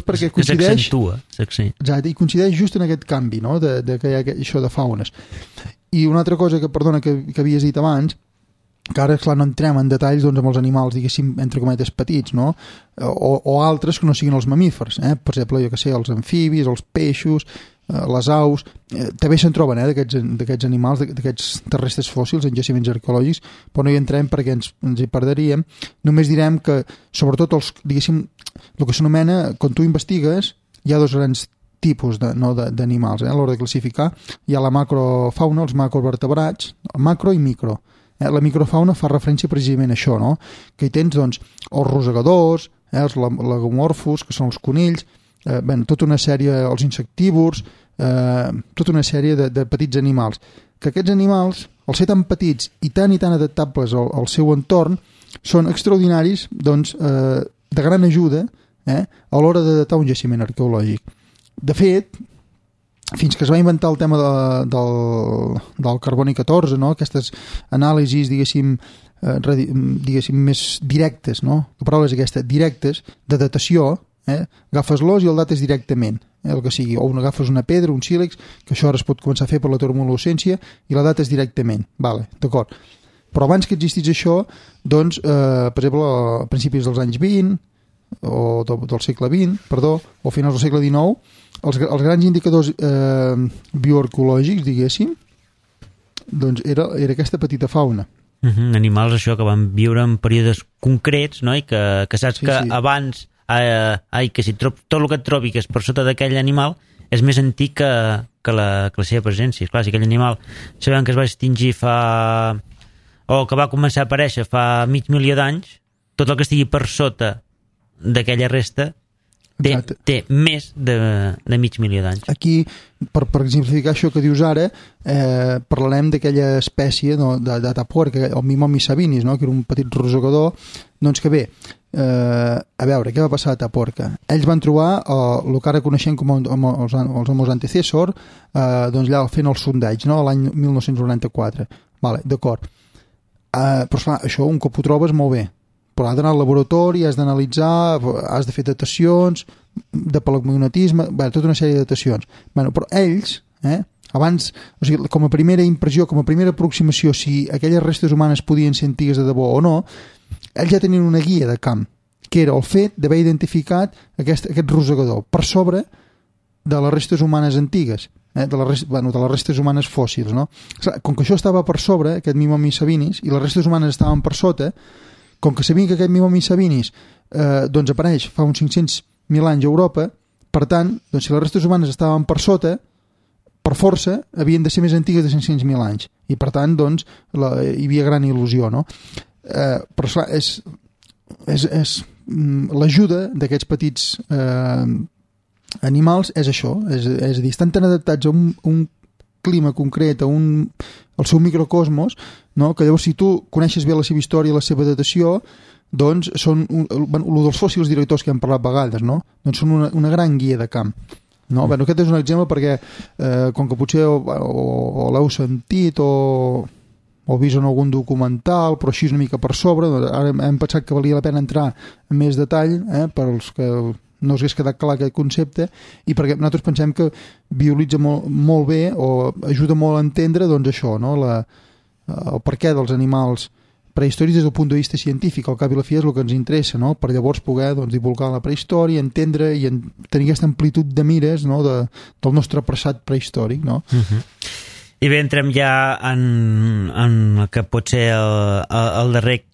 perquè coincideix... S'accentua. Exacte, i coincideix just en aquest canvi, no?, de que hi ha això de faunes. I una altra cosa que havies dit abans, que ara, clar, no entrem en detalls doncs, amb els animals, diguéssim, entre cometes petits, no?, o altres que no siguin els mamífers, per exemple, jo que sé, els amfibis, els peixos, les aus, també se'n troben d'aquests animals, d'aquests terrestres fòssils en jaciments arqueològics, però no hi entrem perquè ens hi perderíem. Només direm que, sobretot, diguéssim, el que s'anomena, quan tu investigues, hi ha dos grans tipus d'animals, a l'hora de classificar. Hi ha la macrofauna, els macrovertebrats, macro i micro. La microfauna fa referència precisament a això, no? Que hi tens, doncs, els rosegadors, els lagomorfos, que són els conills, tota una sèrie, els insectívors, tota una sèrie de petits animals, que aquests animals, al ser tan petits i tan adaptables al seu entorn, són extraordinaris, doncs, de gran ajuda a l'hora de datar un jaciment arqueològic. De fet, fins que es va inventar el tema del carboni 14, no? Aquestes anàlisis, diguéssim, més directes, no? La paraula és aquesta, directes, de datació, agafes l'os i el dates directament, el que sigui, o agafes una pedra, un sílex, que això ara es pot començar a fer per la termolucència, i la dates directament, vale, d'acord. Però abans que existís això, doncs, per exemple, a principis dels anys 20, o del segle XX, perdó, o finals del segle XIX, els grans indicadors bioarqueològics, diguéssim, doncs era aquesta petita fauna. Animals, això, que van viure en períodes concrets, no? I que saps que abans que si tot el que et trobi que és per sota d'aquell animal és més antic que la seva presència. Clar, si aquell animal sabem que es va extingir o que va començar a aparèixer fa mig milió d'anys, tot el que estigui per sota d'aquella resta té més de mig milió d'anys. Aquí, per exemplificar això que dius ara, parlarem d'aquella espècie de tapuerca, el Mimomis sabinis, no? Que era un petit rosegador, doncs que bé, a veure, què va passar a Taporca? Ells van trobar el que ara coneixem com els homos antecessor, doncs allà fent el sondeig, no? L'any 1994. Vale, d'acord. Però esclar, això un cop ho trobes molt bé, però has d'anar al laboratori, has d'analitzar, has de fer datacions de palacmagnetisme, tota una sèrie de datacions. Però ells, abans, o sigui, com a primera impressió, com a primera aproximació, si aquelles restes humanes podien ser antigues de debò o no, ells ja tenien una guia de camp, que era el fet d'haver identificat aquest rosegador per sobre de les restes humanes antigues, de les restes humanes fòssils, no? Com que això estava per sobre, aquest Mimomis sabinis, i les restes humanes estaven per sota, com que sabien que aquest Mimomis sabinis doncs apareix fa uns 500.000 anys a Europa, per tant, doncs si les restes humanes estaven per sota, per força, havien de ser més antigues de 500.000 anys. I per tant, doncs, hi havia gran il·lusió, no? Però esclar, és l'ajuda d'aquests petits animals és això, és a dir, estan tan adaptats a un clima concret, al seu microcosmos, no? Que llavors si tu coneixes bé la seva història i la seva datació, doncs són el dels fòssils directors que hem parlat vegades, no? Doncs són una gran guia de camp. No? Aquest és un exemple perquè com que potser o l'heu sentit o vist en algun documental, però així una mica per sobre, doncs ara hem pensat que valia la pena entrar en més detall per als que no us hagués quedat clar aquest concepte, i perquè nosaltres pensem que visualitza molt bé o ajuda molt a entendre doncs això, no? el perquè dels animals prehistòrics des del punt de vista científic. Al cap i la fi és el que ens interessa, no? Per llavors poder divulgar la prehistòria, entendre i tenir aquesta amplitud de mires, no? del nostre passat prehistòric, no? I bé, entrem ja en el que pot ser el darrer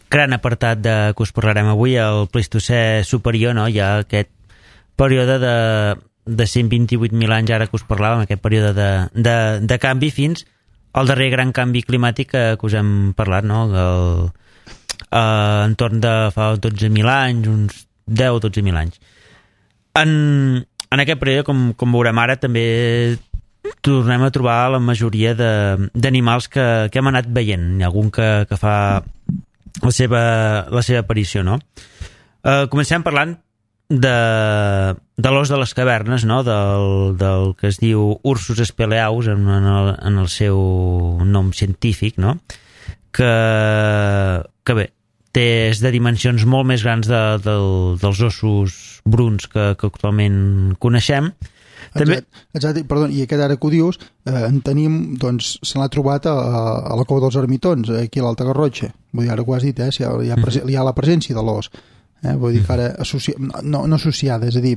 gran apartat que us parlarem avui, el Pleistocè superior, no? Hi ha aquest període de 128.000 anys ara que us parlàvem, aquest període de canvi fins al darrer gran canvi climàtic que us hem parlat, no? Entorn de fa 12.000 anys, uns 10 o 12.000 anys. En aquest període, com veurem ara, també tornem a trobar la majoria d'animals que hem anat veient. Hi ha algun que fa la seva aparició, no? Comencem parlant de l'os de les cavernes, no? Del que es diu Ursus speleaus en el seu nom científic, no? Que bé, és de dimensions molt més grans dels ossos bruns que actualment coneixem. També... Exacte, perdó, i aquest ara que ho dius, en tenim, doncs, se l'ha trobat a la Cova dels Ermitons, aquí a l'Alta Garrotxa. Vull dir, ara ho has dit, hi ha la presència de l'os. Vull dir que ara no associada, és a dir,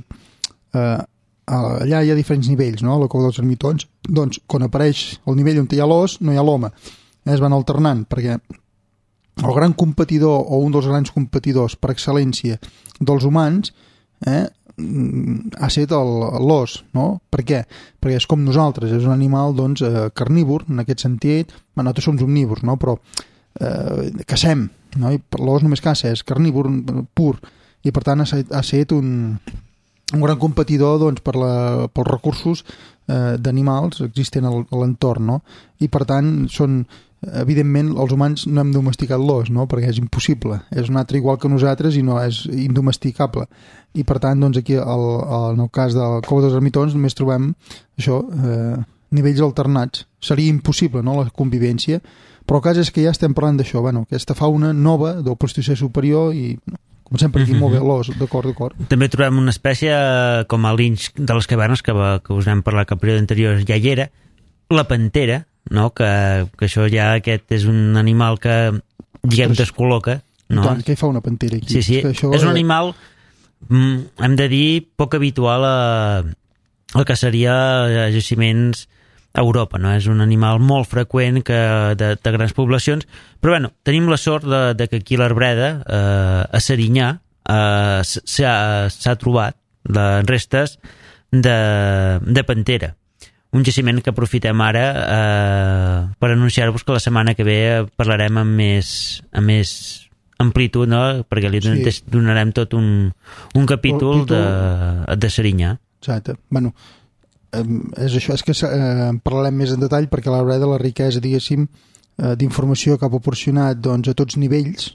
allà hi ha diferents nivells, no? A la Cova dels Ermitons, doncs, quan apareix el nivell on hi ha l'os, no hi ha l'home. Es van alternant, perquè el gran competidor, o un dels grans competidors per excel·lència dels humans, ha estat l'os, no? Per què? Perquè és com nosaltres, és un animal, doncs, carnívor, en aquest sentit. Nosaltres som omnívors, no? Però caçem, no? I l'os només caça, és carnívor pur, i per tant ha estat un gran competidor, doncs, pels recursos d'animals existents a l'entorn, no? I per tant evidentment els humans no hem domesticat l'os, no? Perquè és impossible, és un altre igual que nosaltres i no és indomesticable, i per tant, doncs, aquí en el cas de la Cova dels Ermitons només trobem això, nivells alternats. Seria impossible, no?, la convivència, però el cas és que ja estem parlant d'això, aquesta fauna nova del Pleistocè superior, i comencem per aquí, molt bé, l'os, d'acord. També trobem una espècie com el linx de les cavernes, que us vam parlar que el període anterior ja hi era, la pantera, no? Que això ja aquest és un animal que, diguem, descol·loca, no? Tant, què hi fa una pantera aquí? Sí, és un animal, hem de dir, poc habitual al que seria jaciments a Europa, no? És un animal molt freqüent de grans poblacions, però bueno, tenim la sort de que aquí a l'Arbreda, a Serinyà, s'ha trobat les restes de pantera. Un jaciment que aprofitem ara per anunciar-vos que la setmana que ve parlarem amb més amplitud, no? Perquè li donarem tot un capítol de Serinyà. Exacte. Bueno, és això, és que parlarem més en detall, perquè l'Arbreda, la riquesa, diguéssim, d'informació que ha proporcionat, doncs, a tots nivells,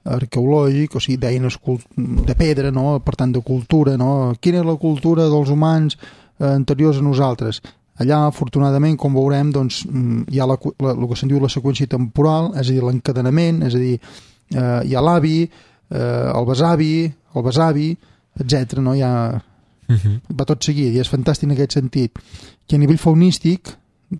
arqueològic, o sigui, d'eines de pedra, no? Per tant, de cultura, no? Quina és la cultura dels humans anteriors a nosaltres? Allà, afortunadament, com veurem, doncs, hi ha el que se'n diu la seqüència temporal, és a dir, l'encadenament, és a dir, hi ha l'avi, el besavi, etc. No? Hi ha... va tot seguit, i és fantàstic en aquest sentit. I a nivell faunístic,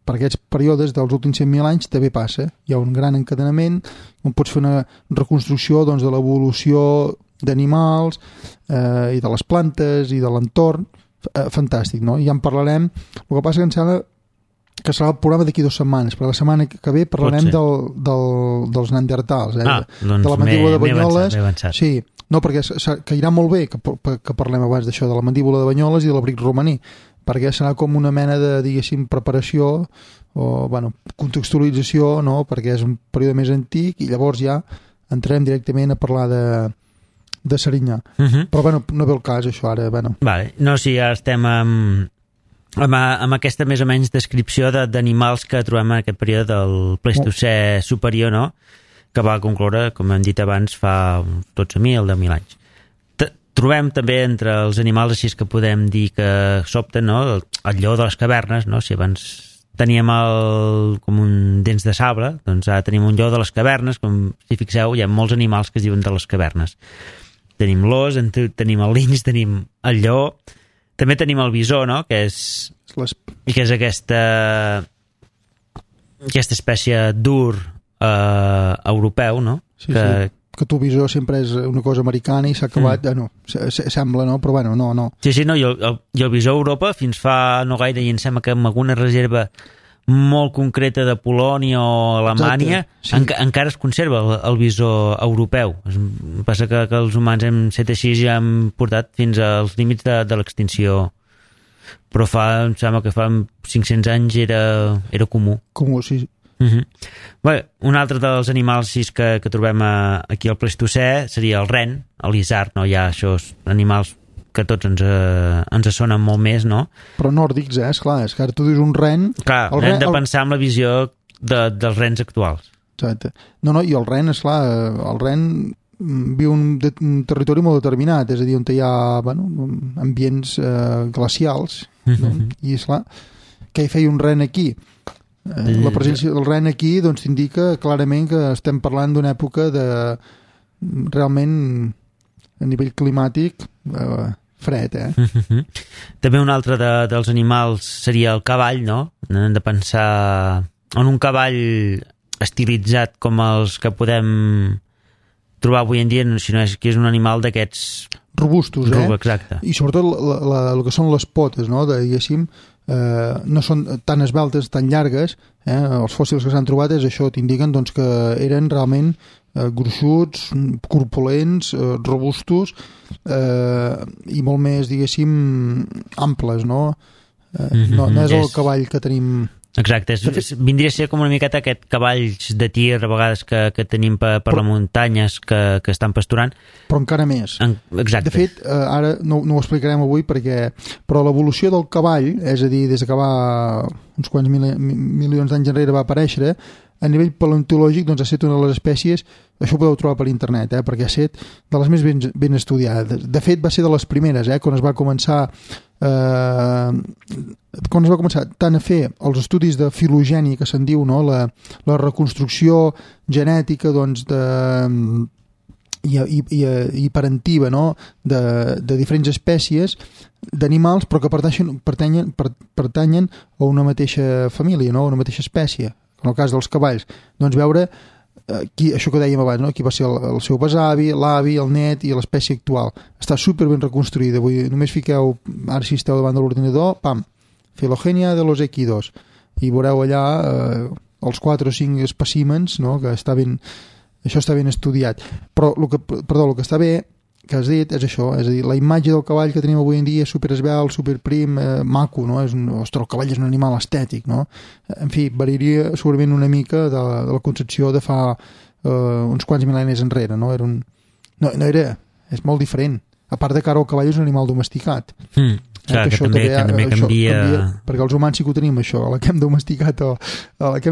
per aquests períodes dels últims 100.000 anys també passa, hi ha un gran encadenament on pots fer una reconstrucció, doncs, de l'evolució d'animals i de les plantes i de l'entorn. Fantàstic, no? Ja en parlarem. El que passa que em sembla que serà el programa d'aquí 2 setmanes, perquè la setmana que ve parlarem dels neandertals, doncs de la mandíbula de Banyoles. Avançat. Sí, no, perquè irà molt bé que parlem abans d'això, de la mandíbula de Banyoles i de l'abric romaní, perquè serà com una mena de, diguéssim, preparació o, contextualització, no? Perquè és un període més antic i llavors ja entrarem directament a parlar de Serinyà. Però, no ve el cas, això, ara, Vale. No, sí, ja estem amb aquesta més o menys descripció d'animals que trobem en aquest període del Pleistocè superior, no? Que va concloure, com hem dit abans, fa 12.000, 10.000 anys. Trobem també entre els animals així que podem dir que s'opten, no? El lleó de les cavernes, no? Si abans teníem com un dents de sable, doncs ara tenim un lleó de les cavernes, com si fixeu, hi ha molts animals que es diuen de les cavernes. Tenim l'os, tenim el linx, tenim el lleó, també tenim el bisó, no? Que és aquesta aquesta espècie d'ur europeu, no? Sí, que el visor sempre és una cosa americana i s'ha acabat, sembla, no? Però bueno, no. Sí, no, i el visor a Europa fins fa no gaire, i em sembla que amb alguna reserva molt concreta de Polònia o Alemanya, encara es conserva el visor europeu. Passa que els humans hem set així i hem portat fins als límits de l'extinció. Però em sembla que fa 500 anys era comú. Comú, sí. Bé, un altre dels animals que trobem aquí al Pleistocè seria el ren, l'isard, no? Hi ha això, animals que tots ens sonen molt més, no? Però nòrdics, esclar, és que ara tu dius un ren... Clar, hem de pensar en la visió dels rens actuals. Exacte. No, i el ren, esclar, el ren viu un territori molt determinat, és a dir, on hi ha ambients glacials, no? I esclar, què hi feia un ren aquí? La presència del ren aquí doncs t'indica clarament que estem parlant d'una època de realment a nivell climàtic fred, També un altre dels animals seria el cavall, no? Hem de pensar en un cavall estilitzat com els que podem trobar avui en dia, sinó que és un animal d'aquests robustos, exacte. I sobretot el que són les potes, no? Diguéssim, no són tan esveltes, tan llargues, els fòssils que s'han trobat és això, t'indiquen doncs, que eren realment gruixuts, corpulents, robustos i molt més, diguéssim, amples, no? No és el cavall que tenim... Exacte, vindria a ser com una miqueta aquest cavalls de tir a vegades que tenim per les muntanyes que estan pasturant. Però encara més. Exacte. De fet, ara no ho explicarem avui però l'evolució del cavall, és a dir, des que uns quants milions d'anys enrere va aparèixer, a nivell paleontològic doncs, ha estat una de les espècies, això ho podeu trobar per internet, perquè ha estat de les més ben estudiades. De fet, va ser de les primeres, quan es va començar tant a fer els estudis de filogènia, que se'n diu, no? La reconstrucció genètica doncs, i parentiva, no? de diferents espècies d'animals, però que pertanyen a una mateixa família, no? A una mateixa espècie. En el cas dels cavalls, doncs veure això que dèiem abans, no? Qui va ser el seu besavi, l'avi, el net i l'espècie actual. Està super ben reconstruïda. Només fiqueu, ara si esteu davant de l'ordinador, pam, filogènia de los equidos, i veureu allà els 4 o 5 espècimens, no? Que això està ben estudiat. Però el que està bé, que has dit, és això, és a dir, la imatge del cavall que tenim avui en dia és superesbelt, superprim, maco, no? Ostres, el cavall és un animal estètic, no? En fi, variaria segurament una mica de la concepció de fa uns quants mil·lennis enrere, no? És molt diferent. A part de que ara el cavall és un animal domesticat. Clar, que també canvia... Perquè els humans sí que ho tenim, això, a la que hem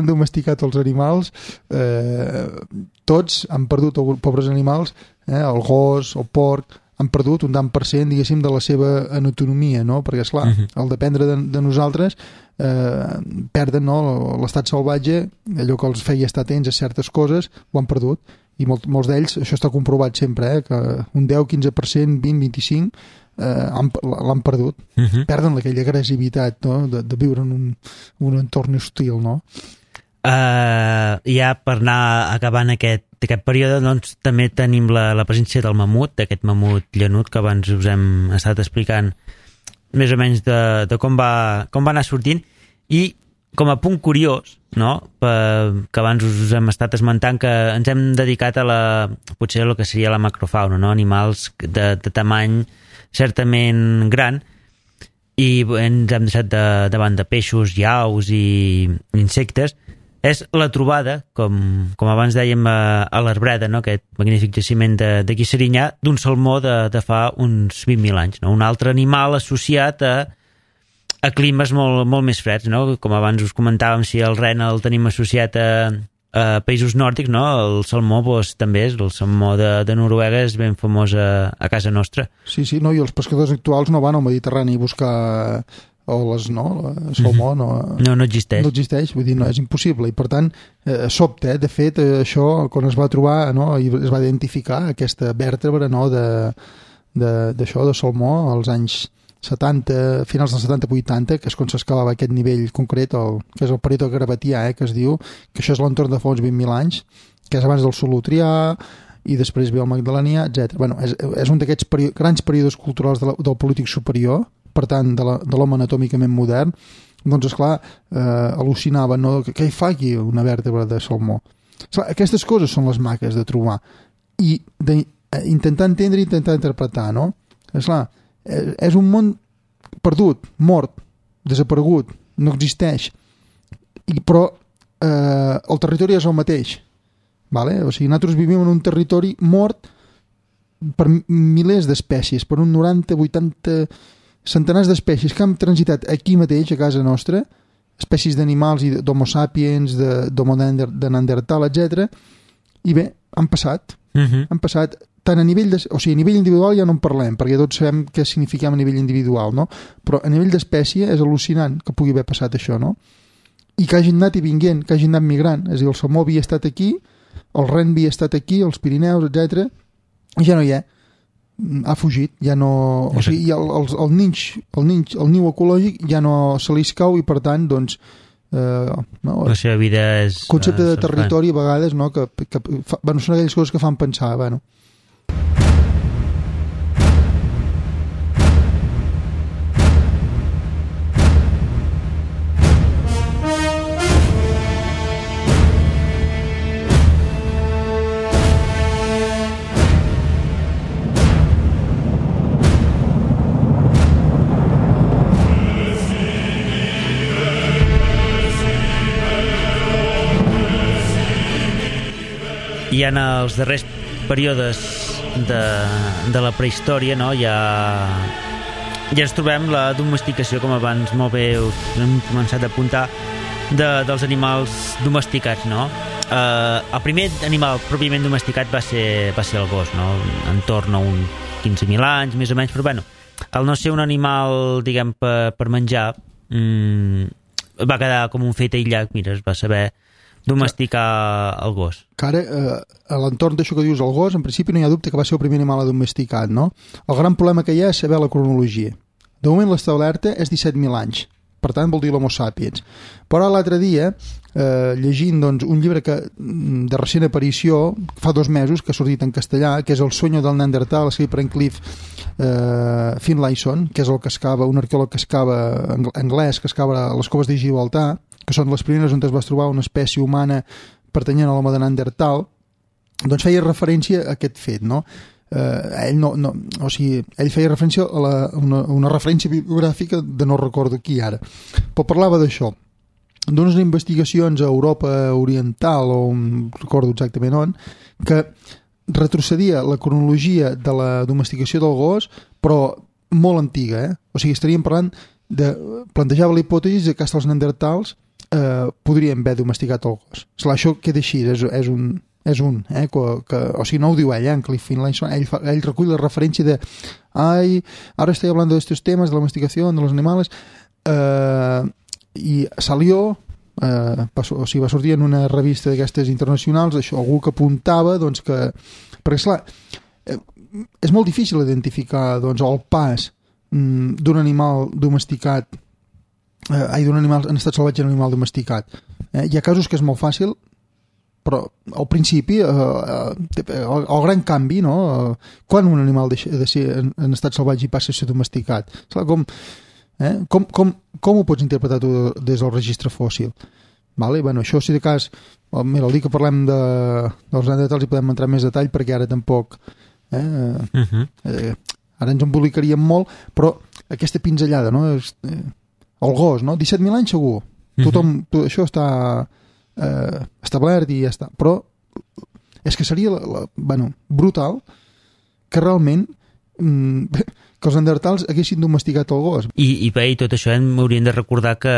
domesticat els animals, tots han perdut, pobres animals, el gos, el porc, han perdut un tant per cent, diguéssim, de la seva anatomia, no? Perquè, esclar, al dependre de nosaltres, perden, no? L'estat salvatge, allò que els feia estar atents a certes coses, ho han perdut. I molts d'ells, això està comprovat sempre, que un 10, 15%, 20, 25%, l'han perdut. Perden aquella agressivitat, no? de viure en un entorn hostil, no? Ja per anar acabant aquest període, doncs també tenim la presència del mamut, d'aquest mamut llanut que abans us hem estat explicant més o menys de com va anar sortint. I com a punt curiós, no? Que abans us hem estat esmentant, que ens hem dedicat a potser el que seria la macrofauna, no? Animals de tamany certament gran, i ens hem deixat davant de peixos, aus i insectes. És la trobada, com abans dèiem, a l'Arbreda, no? Aquest magnífic jaciment d'aquí Serinyà, d'un salmó de fa uns 20.000 anys, no? Un altre animal associat a climes molt més freds, no? Com abans us comentàvem, si el ren el tenim associat a països nòrdics, no? El salmó també és, el salmó de Noruega és ben famós a casa nostra. Sí, no? I els pescadors actuals no van al Mediterrani a buscar oles, no? El salmó no existeix. No existeix, vull dir, no, és impossible. I per tant, sobte, de fet, això, quan es va trobar, no? I es va identificar aquesta vèrtebra, no? d'això, de salmó, als anys 70, finals dels 70-80, que és quan s'escalava aquest nivell concret, que és el Pareto Gravatià, que es diu, que això és l'entorn de fa uns 20.000 anys, que és abans del Solutrià, i després ve el Magdalenià, etc. Bueno, és un d'aquests grans períodes culturals del polític superior, per tant, de l'home anatòmicament modern. Doncs, esclar, al·lucinava, no? Què hi fa aquí una vèrtebra de salmó? Esclar, aquestes coses són les maques de trobar i d'intentar entendre i intentar interpretar, no? Esclar, és un món perdut, mort, desaparegut, no existeix, però el territori és el mateix, vale? O sigui, nosaltres vivim en un territori mort per milers d'espècies, per un 90, 80, centenars d'espècies que han transitat aquí mateix, a casa nostra, espècies d'animals i d'homo sapiens, d'homo de Neandertal, etc. I bé, han passat. Han passat tant a nivell a nivell individual ja no en parlem, perquè tots sabem què significem a nivell individual, no? Però a nivell d'espècie és al·lucinant que pugui haver passat això, no? I que hagin anat i vinguent, que hagin anat migrant. És a dir, el salmó havia estat aquí, el ren havia estat aquí, els Pirineus, etc. I ja no hi ha. Ha fugit, ja no... O sigui, el niu ecològic ja no se li escau i, per tant, doncs... no, la seva vida és... El concepte de territori, a vegades, no? Són aquelles coses que fan pensar, bueno... I en els darrers períodes de la prehistòria, no, ja ens trobem la domesticació, com abans molt bé hem començat a apuntar, dels animals domesticats, no? El primer animal pròpiament domesticat va ser el gos, no? En torn a uns 15.000 anys, més o menys, però bueno, al no ser un animal, diguem, per menjar, va quedar com un fet aïllat. Mira, es va saber domesticar el gos. Que ara, a l'entorn d'això que dius, el gos, en principi no hi ha dubte que va ser el primer animal domesticat, no? El gran problema que hi ha és saber la cronologia. De moment l'establerta és 17.000 anys, per tant vol dir l'Homo sapiens. Però l'altre dia, llegint doncs, un llibre de recent aparició, fa 2 mesos, que ha sortit en castellà, que és El sueño del Neandertal, escrit per en Cliff Finlayson, que és el que excava, un arqueòleg que excava, anglès, que excava a les coves de Gibraltar, que són les primeres on es va trobar una espècie humana pertanyent a l'home de Neandertal, doncs feia referència a aquest fet, no? Ell feia referència a una referència bibliogràfica de no recordo qui ara, però parlava d'això, d'unes investigacions a Europa Oriental, o no recordo exactament on, que retrocedia la cronologia de la domesticació del gos, però molt antiga, o sigui, estaríem parlant plantejava la hipòtesi que els neandertals podrien haver domesticat el gos. Esclar, això queda així, és un o sigui, no ho diu ell, en Cliff Finlayson, ell recull la referència de ahora estoy hablando de estos temas de la domesticación de los animales, i salió, va sortir en una revista d'aquestes internacionals, això, algú que apuntava, doncs, que... Perquè, esclar, és molt difícil identificar, doncs, el pas d'un animal domesticat d'un animal en estat salvatge a un animal domesticat. Hi ha casos que és molt fàcil, però al principi el gran canvi, no? Quan un animal deixa de ser en estat salvatge i passa a ser domesticat? Com ho pots interpretar tu des del registre fòssil? Vale? Bueno, això, si de cas, mira, el dia que parlem dels neandertals hi podem entrar en més detall, perquè ara tampoc ara ens embolicaríem molt, però aquesta pinzellada, no? El gos, no? 17.000 anys segur. Això està establert i ja està. Però és que seria brutal que realment que els neandertals haguessin domesticat el gos. I tot això hauríem de recordar que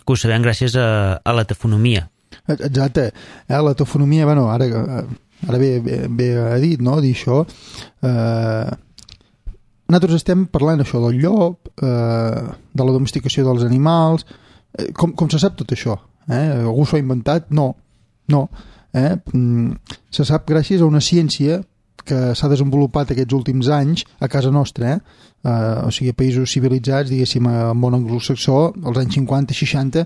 ho sabem gràcies a la tafonomia. Exacte. La tafonomia, ara ve a dit, no? Dir això. Nosaltres estem parlant això del llop, de la domesticació dels animals, com se sap tot això? Algú s'ho ha inventat? No. Se sap gràcies a una ciència que s'ha desenvolupat aquests últims anys a casa nostra, o sigui, a països civilitzats, diguéssim, al món anglosaxó, als anys 50 i 60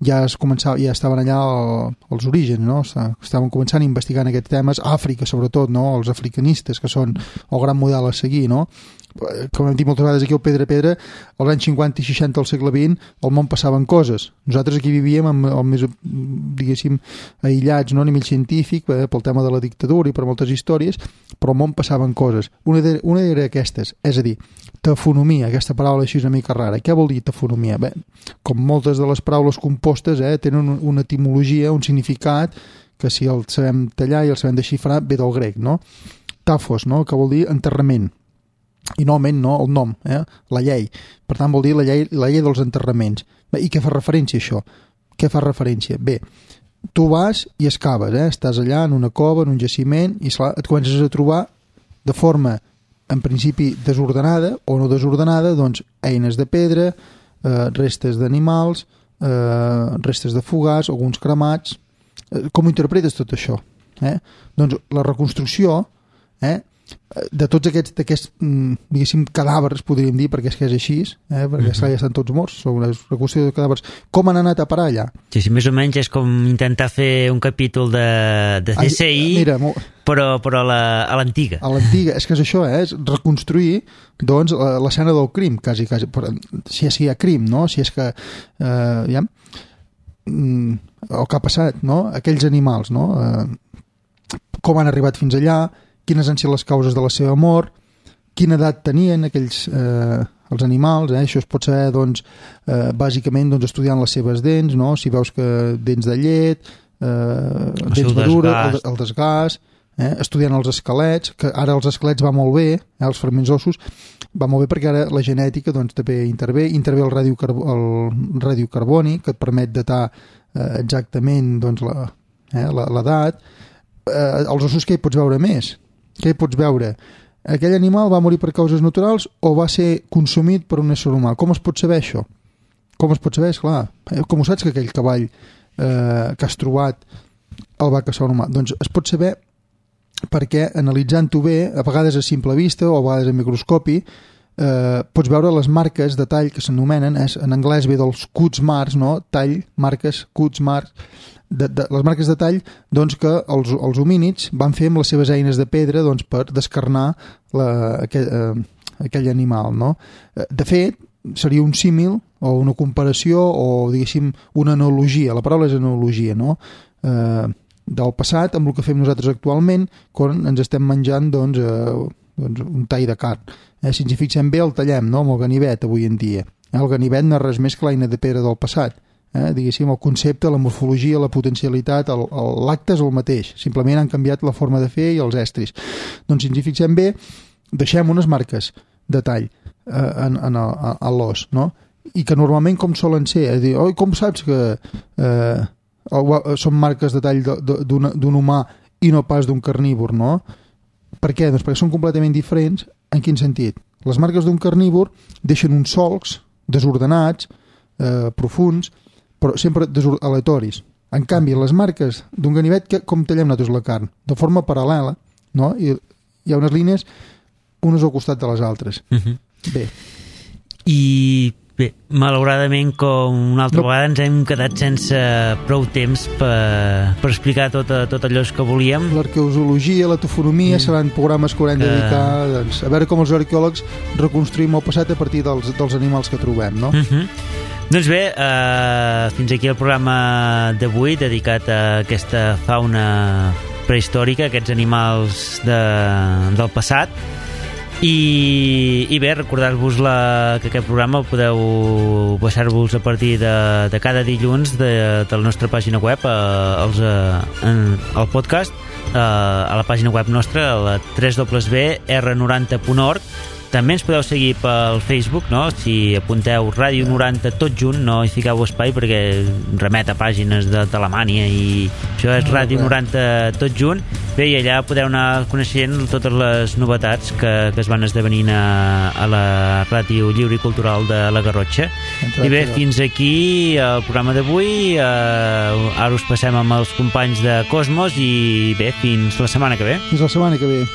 ja estaven allà els orígens, no? Estaven començant a investigar en aquests temes, Àfrica sobretot, no? Els africanistes, que són el gran model a seguir, no? Com hem dit moltes vegades aquí al Pedra Pedra, als anys 50 i 60 del segle XX al món passaven coses. Nosaltres aquí vivíem el més, diguéssim, aïllats, no? A nivell científic, pel tema de la dictadura i per moltes històries, però al món passaven coses. Una era aquestes, és a dir, tafonomia, aquesta paraula així una mica rara. Què vol dir tafonomia? Bé, com moltes de les paraules compostes tenen una etimologia, un significat, que si el sabem tallar i el sabem desxifrar, ve del grec, no? Tafos, no? Que vol dir enterrament. I normalment no, el nom, la llei. Per tant, vol dir la llei dels enterraments. Bé, i què fa referència això? Què fa referència? Bé, tu vas i excaves, estàs allà en una cova, en un jaciment, i et comences a trobar de forma, en principi, desordenada o no desordenada, doncs, eines de pedra, restes d'animals, restes de fogars, alguns cremats. Com ho interpretes tot això? Doncs la reconstrucció, de tots aquests diguéssim, cadàvers, podríem dir, perquè és que és així, perquè ja estan tots morts, són una reconstrucció de cadàvers. Com han anat a parar allà? Sí, més o menys és com intentar fer un capítol de CSI, però a l'antiga. A l'antiga, és que és això, és reconstruir doncs, l'escena del crim, quasi, si és que hi ha crim, no? Si és que el que ha passat, no? Aquells animals, no? Com han arribat fins allà, quines han sigut les causes de la seva mort, quina edat tenien aquells els animals, això es pot saber doncs, bàsicament doncs, estudiant les seves dents, no? Si veus que dents de llet, dents madures, el desgast, estudiant els esquelets, que ara els esquelets va molt bé, els fragments ossos, va molt bé perquè ara la genètica doncs, també intervé el radiocarboni, que et permet datar exactament doncs, l'edat. Els ossos que hi pots veure més? Què hi pots veure? Aquell animal va morir per causes naturals o va ser consumit per un ésser humà? Com es pot saber això? Com es pot saber? Esclar, com ho saps que aquell cavall que has trobat el va caçar un humà? Doncs es pot saber perquè analitzant-ho bé, a vegades a simple vista o a vegades a microscopi, pots veure les marques de tall que s'anomenen, en anglès ve dels cuts marks, no? Tall, marques, cuts marks, les marques de tall doncs, que els homínids van fer amb les seves eines de pedra doncs, per descarnar aquell animal. No? De fet, seria un símil o una comparació o, diguéssim, una analogia. La paraula és analogia, no? Del passat amb el que fem nosaltres actualment quan ens estem menjant doncs, un tall de carn. Si ens hi fixem bé, el tallem, no? Amb el ganivet avui en dia. El ganivet no és res més que l'eina de pedra del passat. Diguéssim, el concepte, la morfologia, la potencialitat, l'acte és el mateix, simplement han canviat la forma de fer i els estris. Doncs si ens hi fixem bé, deixem unes marques de tall a l'os, no? I que normalment com solen ser, és a dir, com saps que són marques de tall d'un humà i no pas d'un carnívor, no? Per què? Doncs perquè són completament diferents. En quin sentit? Les marques d'un carnívor deixen uns solcs desordenats, profuns, però sempre aleatoris. En canvi, les marques d'un ganivet, com tallem nosaltres la carn? De forma paral·lela, no? I hi ha unes línies unes al costat de les altres. Bé. I bé, malauradament, com una altra vegada ens hem quedat sense prou temps per explicar tot allò que volíem. L'arqueologia, la tofonomia seran programes que haurem de dedicar doncs, a veure com els arqueòlegs reconstruïm el passat a partir dels animals que trobem, no? Doncs bé, fins aquí el programa d'avui dedicat a aquesta fauna prehistòrica, aquests animals del passat. I bé, recordar-vos que aquest programa el podeu baixar-vos a partir de cada dilluns de la nostra pàgina web, el podcast, a la pàgina web nostra, a la www.r90.org. També ens podeu seguir pel Facebook, no? Si apunteu Ràdio 90 tot junt, no hi fiqueu espai perquè remet a pàgines d'Alemanya i això és Ràdio 90 tot junt. Bé, i allà podeu anar coneixent totes les novetats que es van esdevenint a la Ràdio Lliure i Cultural de la Garrotxa. I bé, fins aquí el programa d'avui. Ara us passem amb els companys de Cosmos i bé, fins la setmana que ve. Fins la setmana que ve.